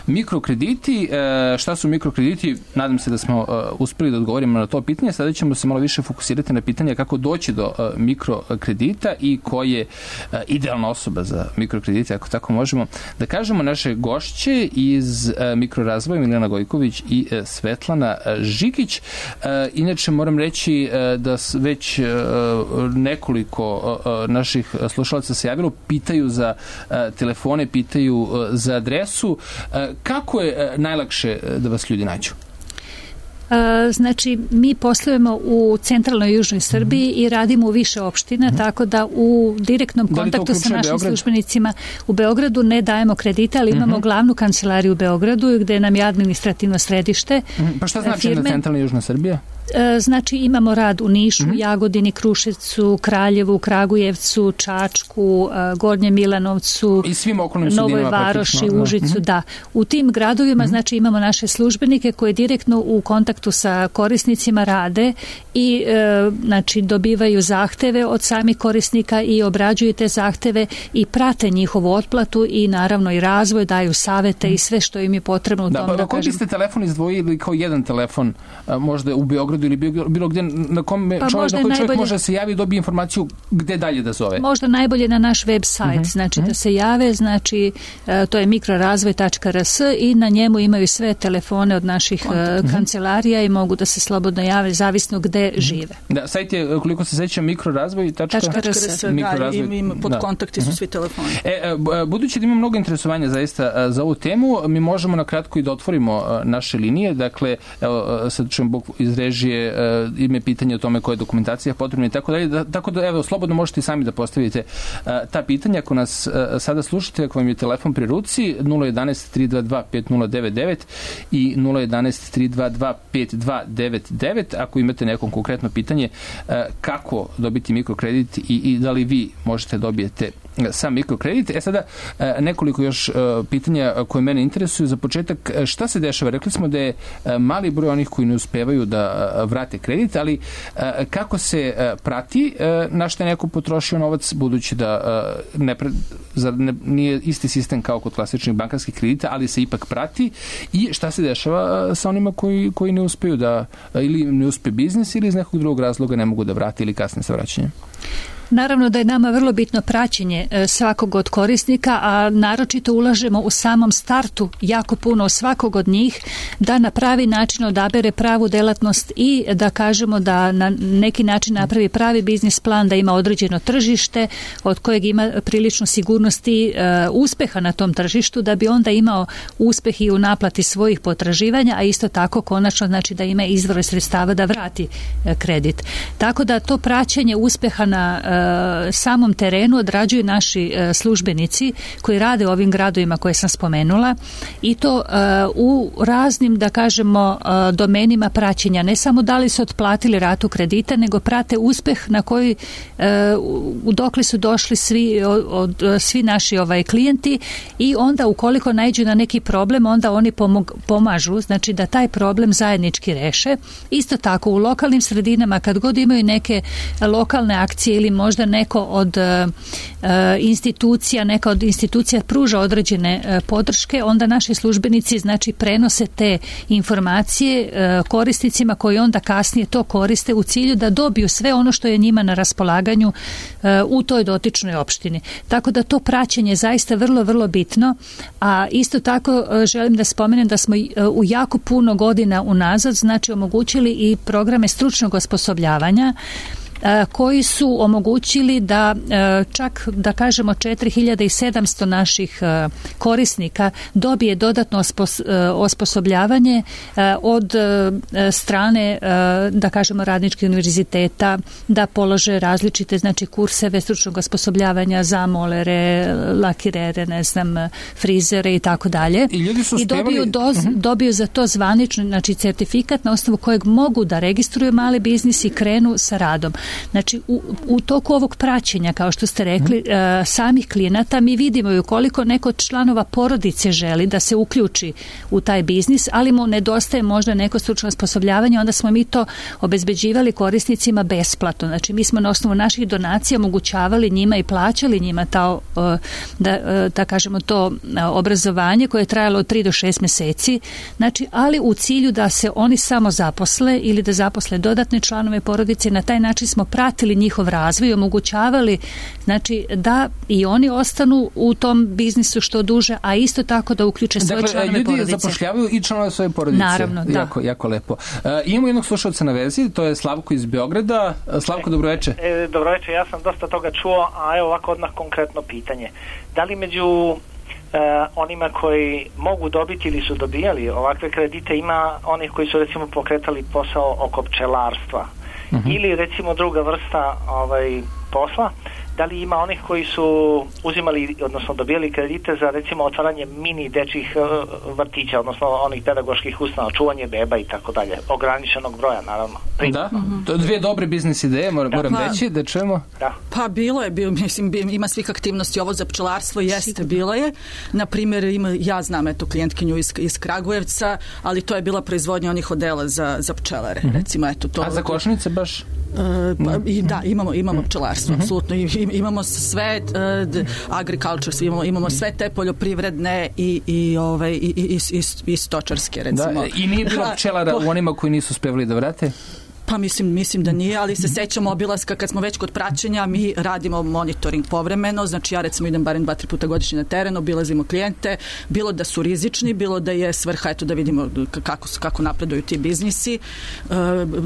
mikrokrediti. Šta su mikrokrediti? Nadam se da smo uspeli da odgovorimo na to pitanje. Sada ćemo se malo više fokusirati na pitanje kako doći do mikrokredita i ko je idealna osoba za mikrokredite, ako tako možemo da kažemo. Naše gošće iz mikrorazvoja Milena Gojković i Svetlana Žikić. Inače moram reći da već nekoliko naših slušalaca se javilo, pitaju za telefone, pitaju za adresu. Kako je najlakše da vas ljudi nađu? Znači, mi poslujemo u centralnoj i južnoj Srbiji mm-hmm. i radimo u više opština, mm-hmm. tako da u direktnom da kontaktu sa našim Beograd? službenicima u Beogradu ne dajemo kredite, ali imamo mm-hmm. glavnu kancelariju u Beogradu gde nam je administrativno središte. Mm-hmm. Pa šta znači firme? Na centralna i južna Srbija? Znači, imamo rad u Nišu, mm-hmm. Jagodini, Kruševcu, Kraljevu, Kragujevcu, Čačku, Gornjem Milanovcu, Novoj Varoši, Užicu, mm-hmm. da. U tim gradovima, mm-hmm. znači, imamo naše službenike koji direktno u kontaktu sa korisnicima rade i e, znači, dobivaju zahteve od samih korisnika i obrađuju te zahteve i prate njihovu otplatu i naravno i razvoj, daju savete mm-hmm. i sve što im je potrebno u da, tom. Pa, da, koji ste telefon izdvojili kao jedan telefon, a, možda u Beogradu ili bilo gdje na kome pa čovjek, na koji čovjek najbolje, može se javi i dobije informaciju gde dalje da zove? Možda najbolje na naš web sajt, uh-huh, znači uh-huh. da se jave, znači uh, to je mikrorazvoj tačka r s i na njemu imaju sve telefone od naših uh, kancelarija i mogu da se slobodno jave, zavisno gde uh-huh. žive. Da, sajt je, koliko se seća, mikrorazvoj tačka r s, da, im pod kontakti su uh-huh. svi telefoni. E, budući da ima mnogo interesovanja zaista za ovu temu, mi možemo na kratko i da otvorimo naše linije, dakle, evo, sad čujem Bog iz režije ime pitanje o tome koja je dokumentacija potrebna i tako dalje. Da, tako da, evo, slobodno možete i sami da postavite uh, ta pitanja. Ako nas uh, sada slušate, ako vam je telefon pri ruci, nula jedanaest tri dva dva pet nula devet devet i nula jedanaest tri dva dva pet dva devet devet. Ako imate neko konkretno pitanje uh, kako dobiti mikrokredit i, i da li vi možete dobijete sam mikrokredit. E sada, nekoliko još pitanja koje mene interesuju. Za početak, šta se dešava? Rekli smo da je mali broj onih koji ne uspevaju da vrate kredit, ali kako se prati na što je neko potrošio novac, budući da ne, ne, nije isti sistem kao kod klasičnih bankarskih kredita, ali se ipak prati, i šta se dešava sa onima koji, koji ne uspeju da, ili ne uspe biznis ili iz nekog drugog razloga ne mogu da vrate ili kasne sa vraćanjem? Naravno da je nama vrlo bitno praćenje svakog od korisnika, a naročito ulažemo u samom startu jako puno svakog od njih da na pravi način odabere pravu delatnost i da kažemo da na neki način napravi pravi biznis plan, da ima određeno tržište od kojeg ima prilično sigurnosti e, uspeha na tom tržištu, da bi onda imao uspeh i u naplati svojih potraživanja, a isto tako konačno znači da ima izvore sredstava da vrati e, kredit. Tako da to praćenje uspeha na e, samom terenu odrađuju naši službenici koji rade u ovim gradovima koje sam spomenula i to u raznim, da kažemo, domenima praćenja. Ne samo da li su otplatili ratu kredita, nego prate uspeh na koji dokle su došli svi, od, svi naši ovaj, klijenti i onda ukoliko naiđu na neki problem, onda oni pomog, pomažu, znači da taj problem zajednički reše. Isto tako u lokalnim sredinama kad god imaju neke lokalne akcije ili možda neko od uh, institucija, neka od institucija pruža određene uh, podrške, onda naši službenici znači prenose te informacije uh, korisnicima koji onda kasnije to koriste u cilju da dobiju sve ono što je njima na raspolaganju uh, u toj dotičnoj opštini. Tako da to praćenje je zaista vrlo, vrlo bitno, a isto tako uh, želim da spomenem da smo uh, u jako puno godina unazad znači omogućili i programe stručnog osposobljavanja koji su omogućili da čak, da kažemo, četiri hiljade sedamsto naših korisnika dobije dodatno osposobljavanje od strane, da kažemo, radničkih univerziteta, da polože različite, znači, kurseve stručnog osposobljavanja za molere, lakirere, ne znam, frizere i tako dalje. I ljudi su uspevali... I dobiju, doz, uh-huh. dobiju za to zvanično, znači, certifikat na osnovu kojeg mogu da registruju mali biznis i krenu sa radom. Znači, u, u toku ovog praćenja, kao što ste rekli, mm. uh, samih klijenata, mi vidimo i ukoliko neko od članova porodice želi da se uključi u taj biznis, ali mu nedostaje možda neko stručno osposobljavanje, onda smo mi to obezbeđivali korisnicima besplatno. Znači, mi smo na osnovu naših donacija omogućavali njima i plaćali njima ta, uh, da, uh, da kažemo, to uh, obrazovanje koje je trajalo od tri do šest meseci, znači, ali u cilju da se oni samo zaposle ili da zaposle dodatne članove porodice. Na taj način smo pratili njihov razvoj i omogućavali, znači, da i oni ostanu u tom biznisu što duže, a isto tako da uključe svoje dakle, članove ljudi porodice. Ljudi zapošljavaju i članove svoje porodice. Naravno, da. Jako, jako lepo. Uh, imamo jednog slušalca na vezi, to je Slavko iz Beograda. Slavko, dobroveče. E, dobroveče, ja sam dosta toga čuo, a evo ovako odmah konkretno pitanje. Da li među Uh, onima koji mogu dobiti ili su dobijali ovakve kredite ima onih koji su recimo pokretali posao oko pčelarstva uh-huh. ili recimo druga vrsta ovaj, posla, da li ima onih koji su uzimali, odnosno dobijali kredite za recimo otvaranje mini dečjih uh, vrtića, odnosno onih pedagoških ustanova, čuvanje beba i tako dalje, ograničenog broja naravno. Da, mm-hmm. to dvije dobre biznis ideje, moram, da, moram pa, reći, da čujemo. Da. Pa bilo je, bilo, mislim, ima svih aktivnosti, ovo za pčelarstvo jeste, bilo je. Na primjer, ima, ja znam eto klijentkinju iz, iz Kragujevca, ali to je bila proizvodnja onih odela za, za pčelare, mm-hmm. recimo, eto to. A za košnice baš? Uh, pa, i, da, imamo, imamo pčelarstvo, mm-hmm. apsolutno. I, imamo sve uh, agriculture, imamo, imamo sve te poljoprivredne i, i, ove, i, i, i, i stočarske, recimo. Da, i nije bilo pčelara u onima koji nisu uspevali da vrate? Pa mislim, mislim da nije, ali se sećamo obilaska kad smo već kod praćenja, mi radimo monitoring povremeno, znači ja recimo idem barem dva, tri puta godišnje na teren, obilazimo klijente, bilo da su rizični, bilo da je svrha, eto da vidimo kako, kako napreduju ti biznisi, e,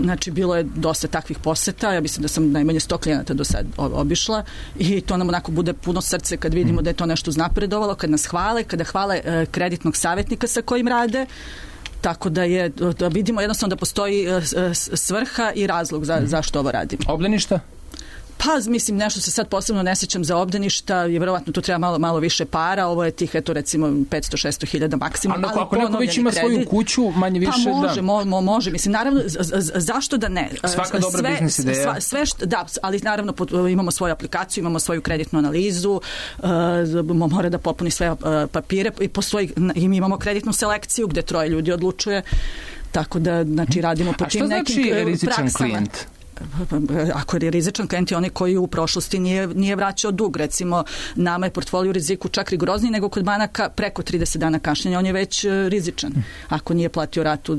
znači bilo je dosta takvih poseta, ja mislim da sam najmanje sto klijenata do sad obišla i to nam onako bude puno srce kad vidimo da je to nešto uznapredovalo, kad nas hvale, kada hvale e, kreditnog savjetnika sa kojim rade. Tako da je, da vidimo jednostavno da postoji svrha i razlog za, zašto ovo radimo. Obdaništa? Pa, mislim, nešto se sad posebno ne sjećam za obdaništa, je verovatno tu treba malo, malo više para, ovo je tih, eto, recimo, petsto do šesto hiljada maksimum. Ali ako neko već ima kredit, svoju kuću, manje više, pa može, da. Mo, mo, može, mislim, naravno, z, z, zašto da ne? Svaka dobra sve, biznis ideja. Sve, sve što, da, ali naravno pot, imamo svoju aplikaciju, imamo svoju kreditnu analizu, uh, mora da popuni sve uh, papire i postoji, i mi imamo kreditnu selekciju gde troje ljudi odlučuje, tako da, znači, radimo po tim nekim praksama. A što znači rizičan klijent? Ako je rizičan klijent je onaj koji u prošlosti nije, nije vraćao dug, recimo nama je portfolio riziku čak rigorozniji nego kod banaka, preko trideset dana kašnjenja on je već rizičan ako nije platio ratu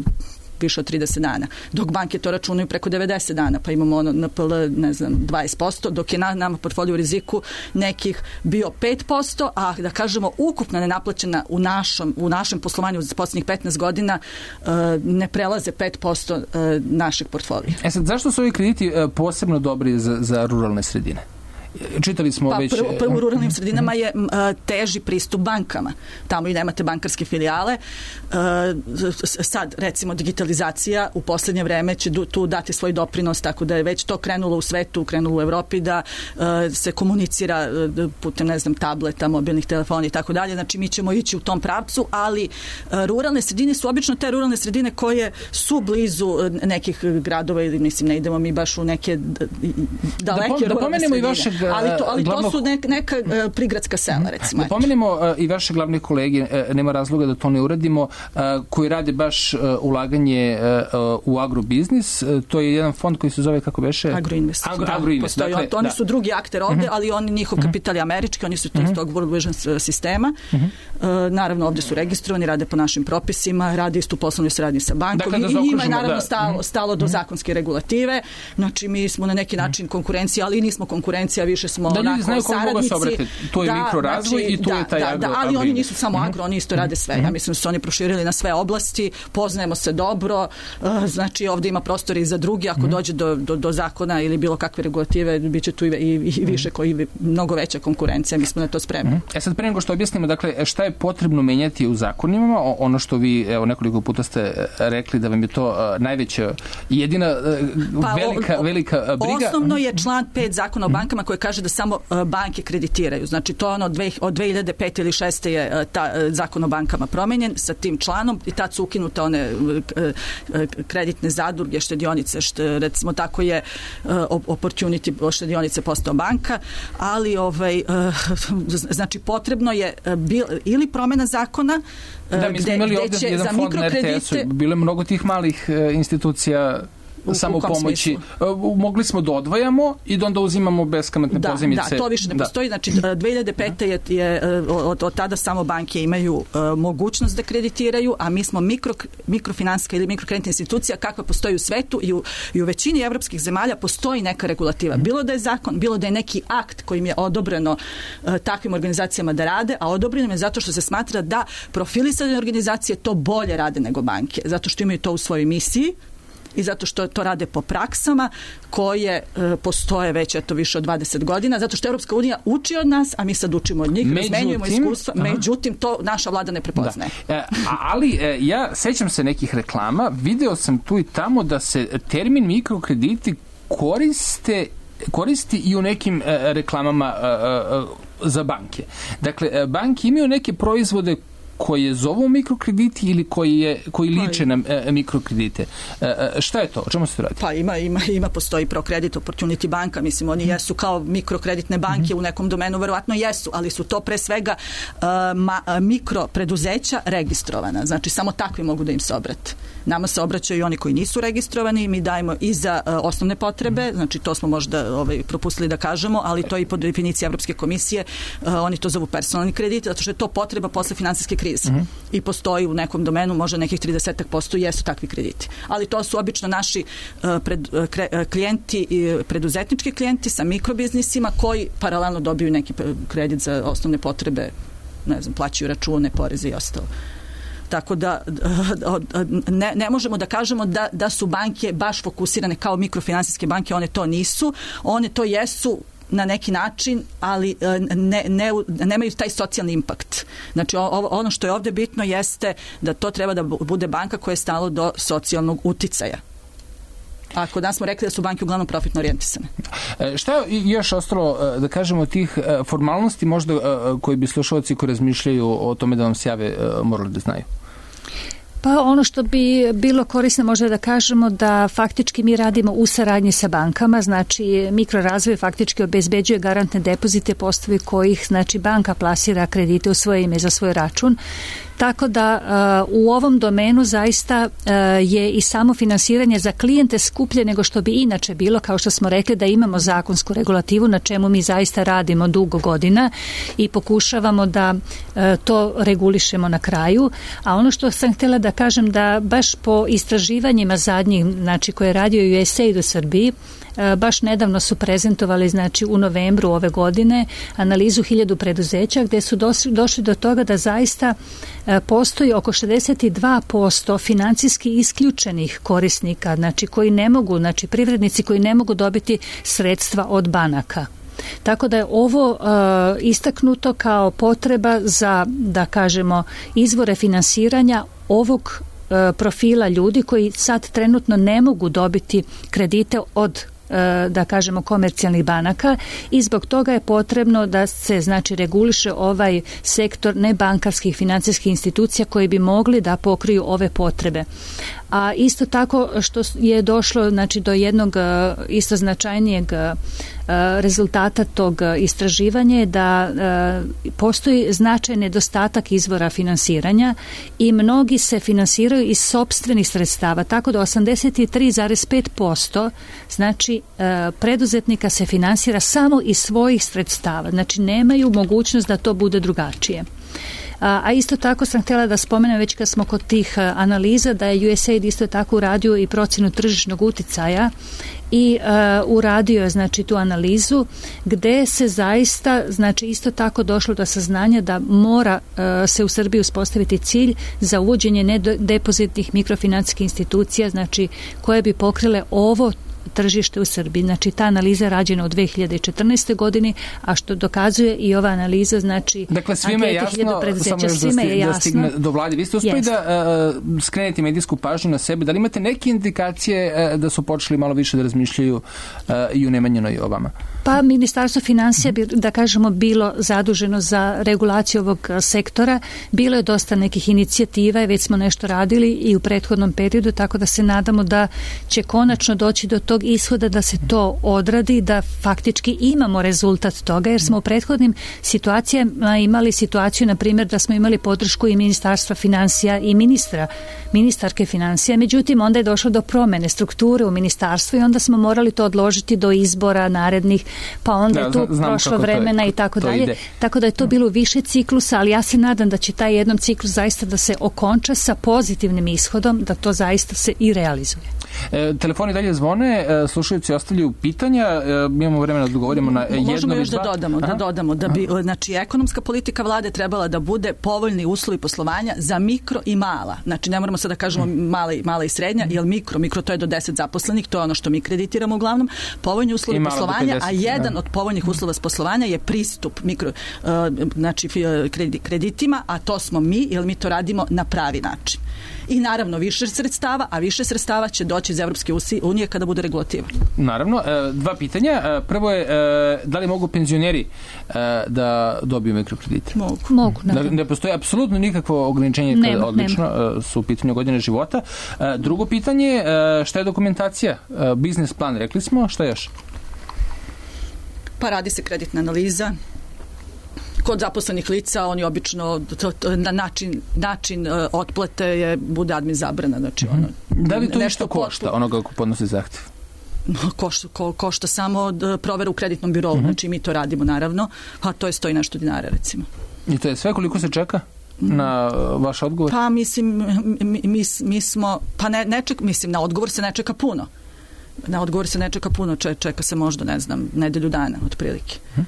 više od trideset dana, dok banke to računaju preko devedeset dana, pa imamo ono N P L, ne znam, dvadeset posto, dok je na nama portfolio u riziku nekih bio pet posto, a da kažemo ukupna nenaplaćena u našem, u našem poslovanju za posljednjih petnaest godina uh, ne prelaze pet posto uh, našeg portfolija. E sad, zašto su ovi krediti uh, posebno dobri za, za ruralne sredine? čitali smo pa, već... Prvo, prvo u ruralnim sredinama je a, teži pristup bankama. Tamo i nemate bankarske filijale. A, sad, recimo, digitalizacija u poslednje vreme će tu dati svoj doprinos, tako da je već to krenulo u svetu, krenulo u Evropi, da a, se komunicira putem, ne znam, tableta, mobilnih telefona i tako dalje. Znači, mi ćemo ići u tom pravcu, ali a, ruralne sredine su obično te ruralne sredine koje su blizu nekih gradova ili, mislim, ne idemo mi baš u neke daleke da, da ruralne sredine. I vašeg, ali to, ali glavnog... to su neka, neka uh, prigradska sela, recimo. Da pomenemo uh, i vaše glavne kolege, uh, nema razloga da to ne uradimo, uh, koji rade baš uh, ulaganje uh, u agrobiznis. Uh, to je jedan fond koji se zove, kako beše? Agroinvest. Agro, da, Agroinvest. Postoji, dakle, oni da. su drugi akter ovde, uh-huh. ali oni, njihov kapital je američki, oni su to uh-huh. iz tog World Vision sistema. Uh-huh. Uh, naravno, ovde su registrovani, rade po našim propisima, rade istu poslovnu saradnju sa bankom dakle, da i njima je naravno da. stalo, stalo do zakonske regulative. Znači, mi smo na neki način konkurencija, ali nismo konkurencija, više smo da, onako znaju saradnici. To je da, mikrorazvoj znači, i tu da, je taj da, agro. Da, ali oni nisu samo agro, oni isto rade sve. Ja mislim da su oni proširili na sve oblasti, poznajemo se dobro, znači ovde ima prostora i za drugi, ako dođe do, do, do zakona ili bilo kakve regulative, bit će tu i, i, i više, koji mnogo veća konkurencija, mi smo na to spremni. E sad, pre nego što objasnimo, dakle, šta je potrebno menjati u zakonima, ono što vi, evo, nekoliko puta ste rekli da vam je to uh, najveća, jedina uh, pa, velika, o, o, velika briga. Osnovno je član pet zakona o bankama koji kaže da samo uh, banke kreditiraju. Znači, to ono dve, od dve hiljade pete ili šeste je uh, ta, uh, zakon o bankama promenjen sa tim članom i tad su ukinute one uh, uh, kreditne zadruge, štedionice, što, recimo tako je uh, opportunity štedionice postao banka, ali ovaj, uh, znači potrebno je uh, bil, ili promena zakona da, mi smo imali ovdje jedan fond na er te esu, bilo je mnogo tih malih uh, institucija U, samo u pomoći. Uh, mogli smo da odvajamo i da onda uzimamo beskamatne da, pozajmice. Da, to više ne da. postoji. Znači, dve hiljade pete je, je od, od tada samo banke imaju uh, mogućnost da kreditiraju, a mi smo mikro, mikrofinanska ili mikrokreditna institucija kakva postoji u svetu i u, i u većini evropskih zemalja postoji neka regulativa. Bilo da je zakon, bilo da je neki akt kojim je odobreno uh, takvim organizacijama da rade, a odobreno je zato što se smatra da profilisane organizacije to bolje rade nego banke, zato što imaju to u svojoj misiji i zato što to rade po praksama koje e, postoje već eto više od dvadeset godina, zato što Evropska unija uči od nas, a mi sad učimo od njih, razmenjujemo iskustva, aha. međutim to naša vlada ne prepoznaje. Da. E, ali e, ja sećam se nekih reklama, video sam tu i tamo da se termin mikrokrediti koriste koristi i u nekim e, reklamama e, e, za banke. Dakle, e, banke imaju neke proizvode koje zovu mikrokrediti ili koji, je, koji liče na e, mikrokredite. E, e, šta je to? O čemu se to radi? Pa ima, ima, ima postoji ProCredit, Opportunity banka, mislim, oni jesu kao mikrokreditne banke mm-hmm. u nekom domenu, verovatno jesu, ali su to pre svega uh, ma, mikropreduzeća registrovana. Znači, samo takvi mogu da im se obrate. Nama se obraćaju i oni koji nisu registrovani, mi dajemo i za uh, osnovne potrebe, znači to smo možda ovaj, propustili da kažemo, ali to je i po definiciji Evropske komisije, uh, oni to zovu personalni kredit, zato što je to potreba posle finansijske krize. Mm-hmm. I postoji u nekom domenu, možda nekih trideset posto jesu takvi krediti. Ali to su obično naši uh, pred, uh, kre, uh, klijenti, uh, preduzetnički klijenti sa mikrobiznisima koji paralelno dobiju neki kredit za osnovne potrebe, ne znam, plaćaju račune, poreze i ostalo. Tako da ne, ne možemo da kažemo da, da su banke baš fokusirane kao mikrofinansijske banke, one to nisu, one to jesu na neki način, ali ne, ne, nemaju taj socijalni impakt. Znači ono što je ovde bitno jeste da to treba da bude banka koja je stalo do socijalnog uticaja. A kod nas smo rekli da su banke uglavnom profitno orijentisane. E, šta je još ostalo, da kažemo, tih formalnosti možda koji bi slušalci koji razmišljaju o tome da vam se jave morali da znaju? Pa ono što bi bilo korisno možda da kažemo da faktički mi radimo u saradnji sa bankama, znači mikrorazvoj faktički obezbeđuje garantne depozite po osnovi kojih znači banka plasira kredite u svoje ime za svoj račun. Tako da uh, u ovom domenu zaista uh, je i samo finansiranje za klijente skuplje nego što bi inače bilo, kao što smo rekli da imamo zakonsku regulativu na čemu mi zaista radimo dugo godina i pokušavamo da uh, to regulišemo na kraju. A ono što sam htjela da kažem da baš po istraživanjima zadnjih, znači koje je radio U S A I D u Srbiji, baš nedavno su prezentovali, znači u novembru ove godine, analizu hiljadu preduzeća gde su došli do toga da zaista postoji oko šezdeset dva posto financijski isključenih korisnika, znači koji ne mogu, znači privrednici koji ne mogu dobiti sredstva od banaka. Tako da je ovo uh, istaknuto kao potreba za, da kažemo, izvore finansiranja ovog profila ljudi koji sad trenutno ne mogu dobiti kredite od, da kažemo, komercijalnih banaka i zbog toga je potrebno da se, znači, reguliše ovaj sektor nebankarskih financijskih institucija koji bi mogli da pokriju ove potrebe. A isto tako što je došlo, znači, do jednog isto značajnijeg rezultata tog istraživanja je da postoji značajan nedostatak izvora finansiranja i mnogi se finansiraju iz sopstvenih sredstava, tako da osamdeset tri zarez pet posto znači preduzetnika se finansira samo iz svojih sredstava, znači nemaju mogućnost da to bude drugačije. A isto tako sam htjela da spomenem, već kad smo kod tih analiza, da je U S A I D isto tako uradio i procjenu tržišnog uticaja i uh, uradio je, znači, tu analizu gde se zaista, znači, isto tako došlo do saznanja da mora uh, se u Srbiji uspostaviti cilj za uvođenje nedepozitnih mikrofinancijskih institucija, znači, koje bi pokrile ovo tržište u Srbiji. Znači, ta analiza je rađena u dve hiljade četrnaestoj godini, a što dokazuje i ova analiza, znači, dakle, svima je jasno, samo još da, sti, da stigne do vlade. Vi ste uspeli da uh, skrenete medijsku pažnju na sebe. Da li imate neke indikacije uh, da su počeli malo više da razmišljaju uh, i u Nemanjinoj o vama? Pa, Ministarstvo financija bi, da kažemo, bilo zaduženo za regulaciju ovog sektora. Bilo je dosta nekih inicijativa i već smo nešto radili i u prethodnom periodu, tako da se nadamo da će konačno doći do tog ishoda da se to odradi, da faktički imamo rezultat toga, jer smo u prethodnim situacijama imali situaciju, na primjer, da smo imali podršku i Ministarstva financija i ministra, ministarke financija, međutim onda je došlo do promene strukture u ministarstvu i onda smo morali to odložiti do izbora narednih, pa onda je tu prošlo vremena i tako dalje. Tako da je to bilo više ciklusa, ali ja se nadam da će taj jednom ciklus zaista da se okonča sa pozitivnim ishodom, da to zaista se i realizuje. E, telefoni dalje zvone, e, slušalci ostavljaju pitanja, e, imamo vremena da odgovorimo na jedno. Možemo još da dodamo, da dodamo da bi, znači, ekonomska politika vlade trebala da bude povoljni uslovi poslovanja za mikro i mala. Znači, ne moramo sad da kažemo mala i, mala i srednja, jer mikro, mikro to je do deset zaposlenih, to je ono što mi kreditiramo uglavnom, povoljni uslovi poslovanja, deset, a jedan da. od povoljnih uslova poslovanja je pristup mikro, uh, znači, kreditima, a to smo mi, jer mi to radimo na pravi način. I naravno više sredstava, a više sredstava će doći iz Evropske unije kada bude regulativa. Naravno, dva pitanja. Prvo je, da li mogu penzioneri da dobiju mikrokredite? Mogu. Mogu, naravno. Ne postoji apsolutno nikakvo ograničenje kada nema, odlično nema. Su u pitanju godine života. Drugo pitanje, šta je dokumentacija? Biznis plan, rekli smo, šta još? Pa radi se kreditna analiza. Kod zaposlenih lica oni obično to, to, na način, način uh, otplate je, bude admin zabrana. Znači, ono, da li to nešto košta onoga ko podnosi zahtev? Košta, ko, košta samo provera u kreditnom birovu, uh-huh. Znači mi to radimo naravno, a to je stoji nešto dinara recimo. I to je sve, koliko se čeka na vaš odgovor? Pa mislim, mi, mi, mi smo, pa ne, ne ček, mislim, na odgovor se ne čeka puno. Na odgovor se ne čeka puno, čeka se možda, ne znam, nedelju dana, otprilike. Uh-huh.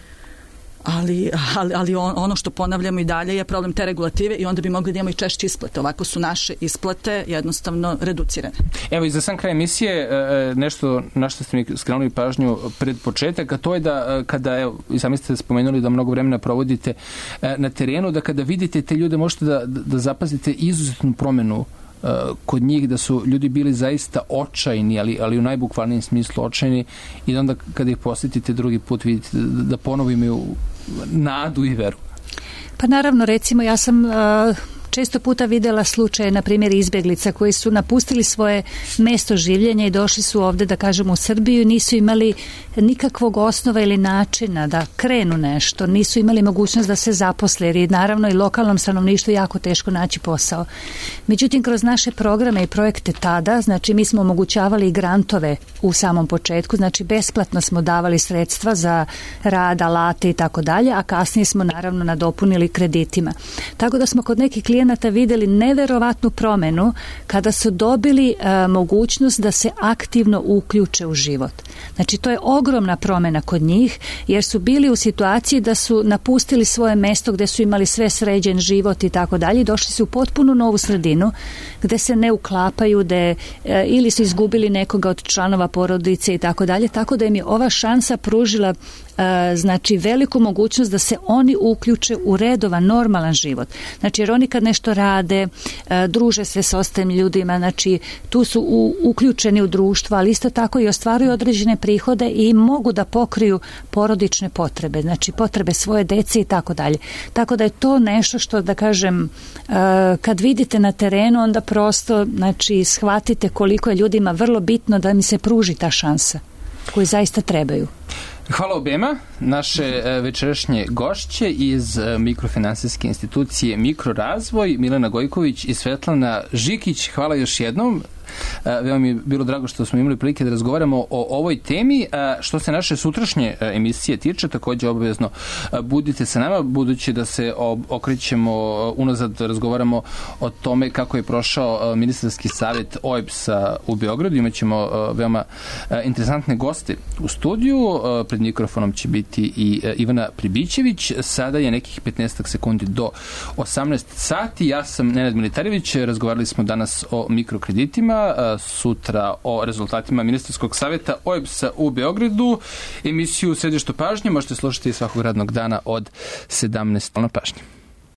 Ali, ali, ali ono što ponavljamo i dalje je problem te regulative i onda bi mogli da imamo i češće isplate. Ovako su naše isplate jednostavno reducirane. Evo i za sam kraj emisije nešto na što ste mi skrenuli pažnju pred početak, a to je da kada, evo, i sami ste spomenuli da mnogo vremena provodite na terenu, da kada vidite te ljude možete da, da zapazite izuzetnu promenu kod njih, da su ljudi bili zaista očajni, ali, ali u najbukvalnijem smislu očajni, i onda kada ih posjetite drugi put vidite da, da ponovo imaju nadu i veru. Pa naravno, recimo ja sam uh, često puta videla slučaje, na primjer, izbjeglica koji su napustili svoje mesto življenja i došli su ovde, da kažemo, u Srbiju, nisu imali nikakvog osnova ili načina da krenu nešto, nisu imali mogućnost da se zaposle, jer je naravno i lokalnom stanovništvu jako teško naći posao. Međutim, kroz naše programe i projekte tada, znači mi smo omogućavali i grantove u samom početku, znači besplatno smo davali sredstva za rad, alate i tako dalje, a kasnije smo naravno nadopunili kreditima. Tako da smo kod nekih klijenata studenata vidjeli neverovatnu promjenu kada su dobili uh, mogućnost da se aktivno uključe u život. Znači, to je ogromna promjena kod njih, jer su bili u situaciji da su napustili svoje mesto gdje su imali sve sređen život i tako dalje, došli su u potpuno novu sredinu gdje se ne uklapaju, gdje e, ili su izgubili nekoga od članova porodice i tako dalje, tako da im je ova šansa pružila e, znači veliku mogućnost da se oni uključe u redovan, normalan život. Znači, jer oni kad nešto rade, e, druže se s ostalim ljudima, znači tu su u, uključeni u društvo, ali isto tako i ostvaruju određene prihode i mogu da pokriju porodične potrebe, znači potrebe svoje dece i tako dalje. Tako da je to nešto što, da kažem, kad vidite na terenu, onda prosto, znači, shvatite koliko je ljudima vrlo bitno da mi se pruži ta šansa koju zaista trebaju. Hvala obema. Naše večerašnje gošće iz mikrofinansijske institucije Mikrorazvoj, Milena Gojković i Svetlana Žikić. Hvala još jednom. Veoma mi je bilo drago što smo imali prilike da razgovaramo o ovoj temi. Što se naše sutrašnje emisije tiče, također obavezno budite sa nama, budući da se okrećemo unazad, razgovaramo o tome kako je prošao ministarski savjet O E B S-a u Beogradu. Imaćemo veoma interesantne goste u studiju. Pred mikrofonom će biti i Ivana Pribićević. Sada je nekih petnaest sekundi do osamnaest sati. Ja sam Nenad Militarević. Razgovarali smo danas o mikrokreditima, sutra o rezultatima ministarskog savjeta O E B S-a u Beogradu. Emisiju Središte pažnje možete slušati svakog radnog dana od sedamnaest na pažnje.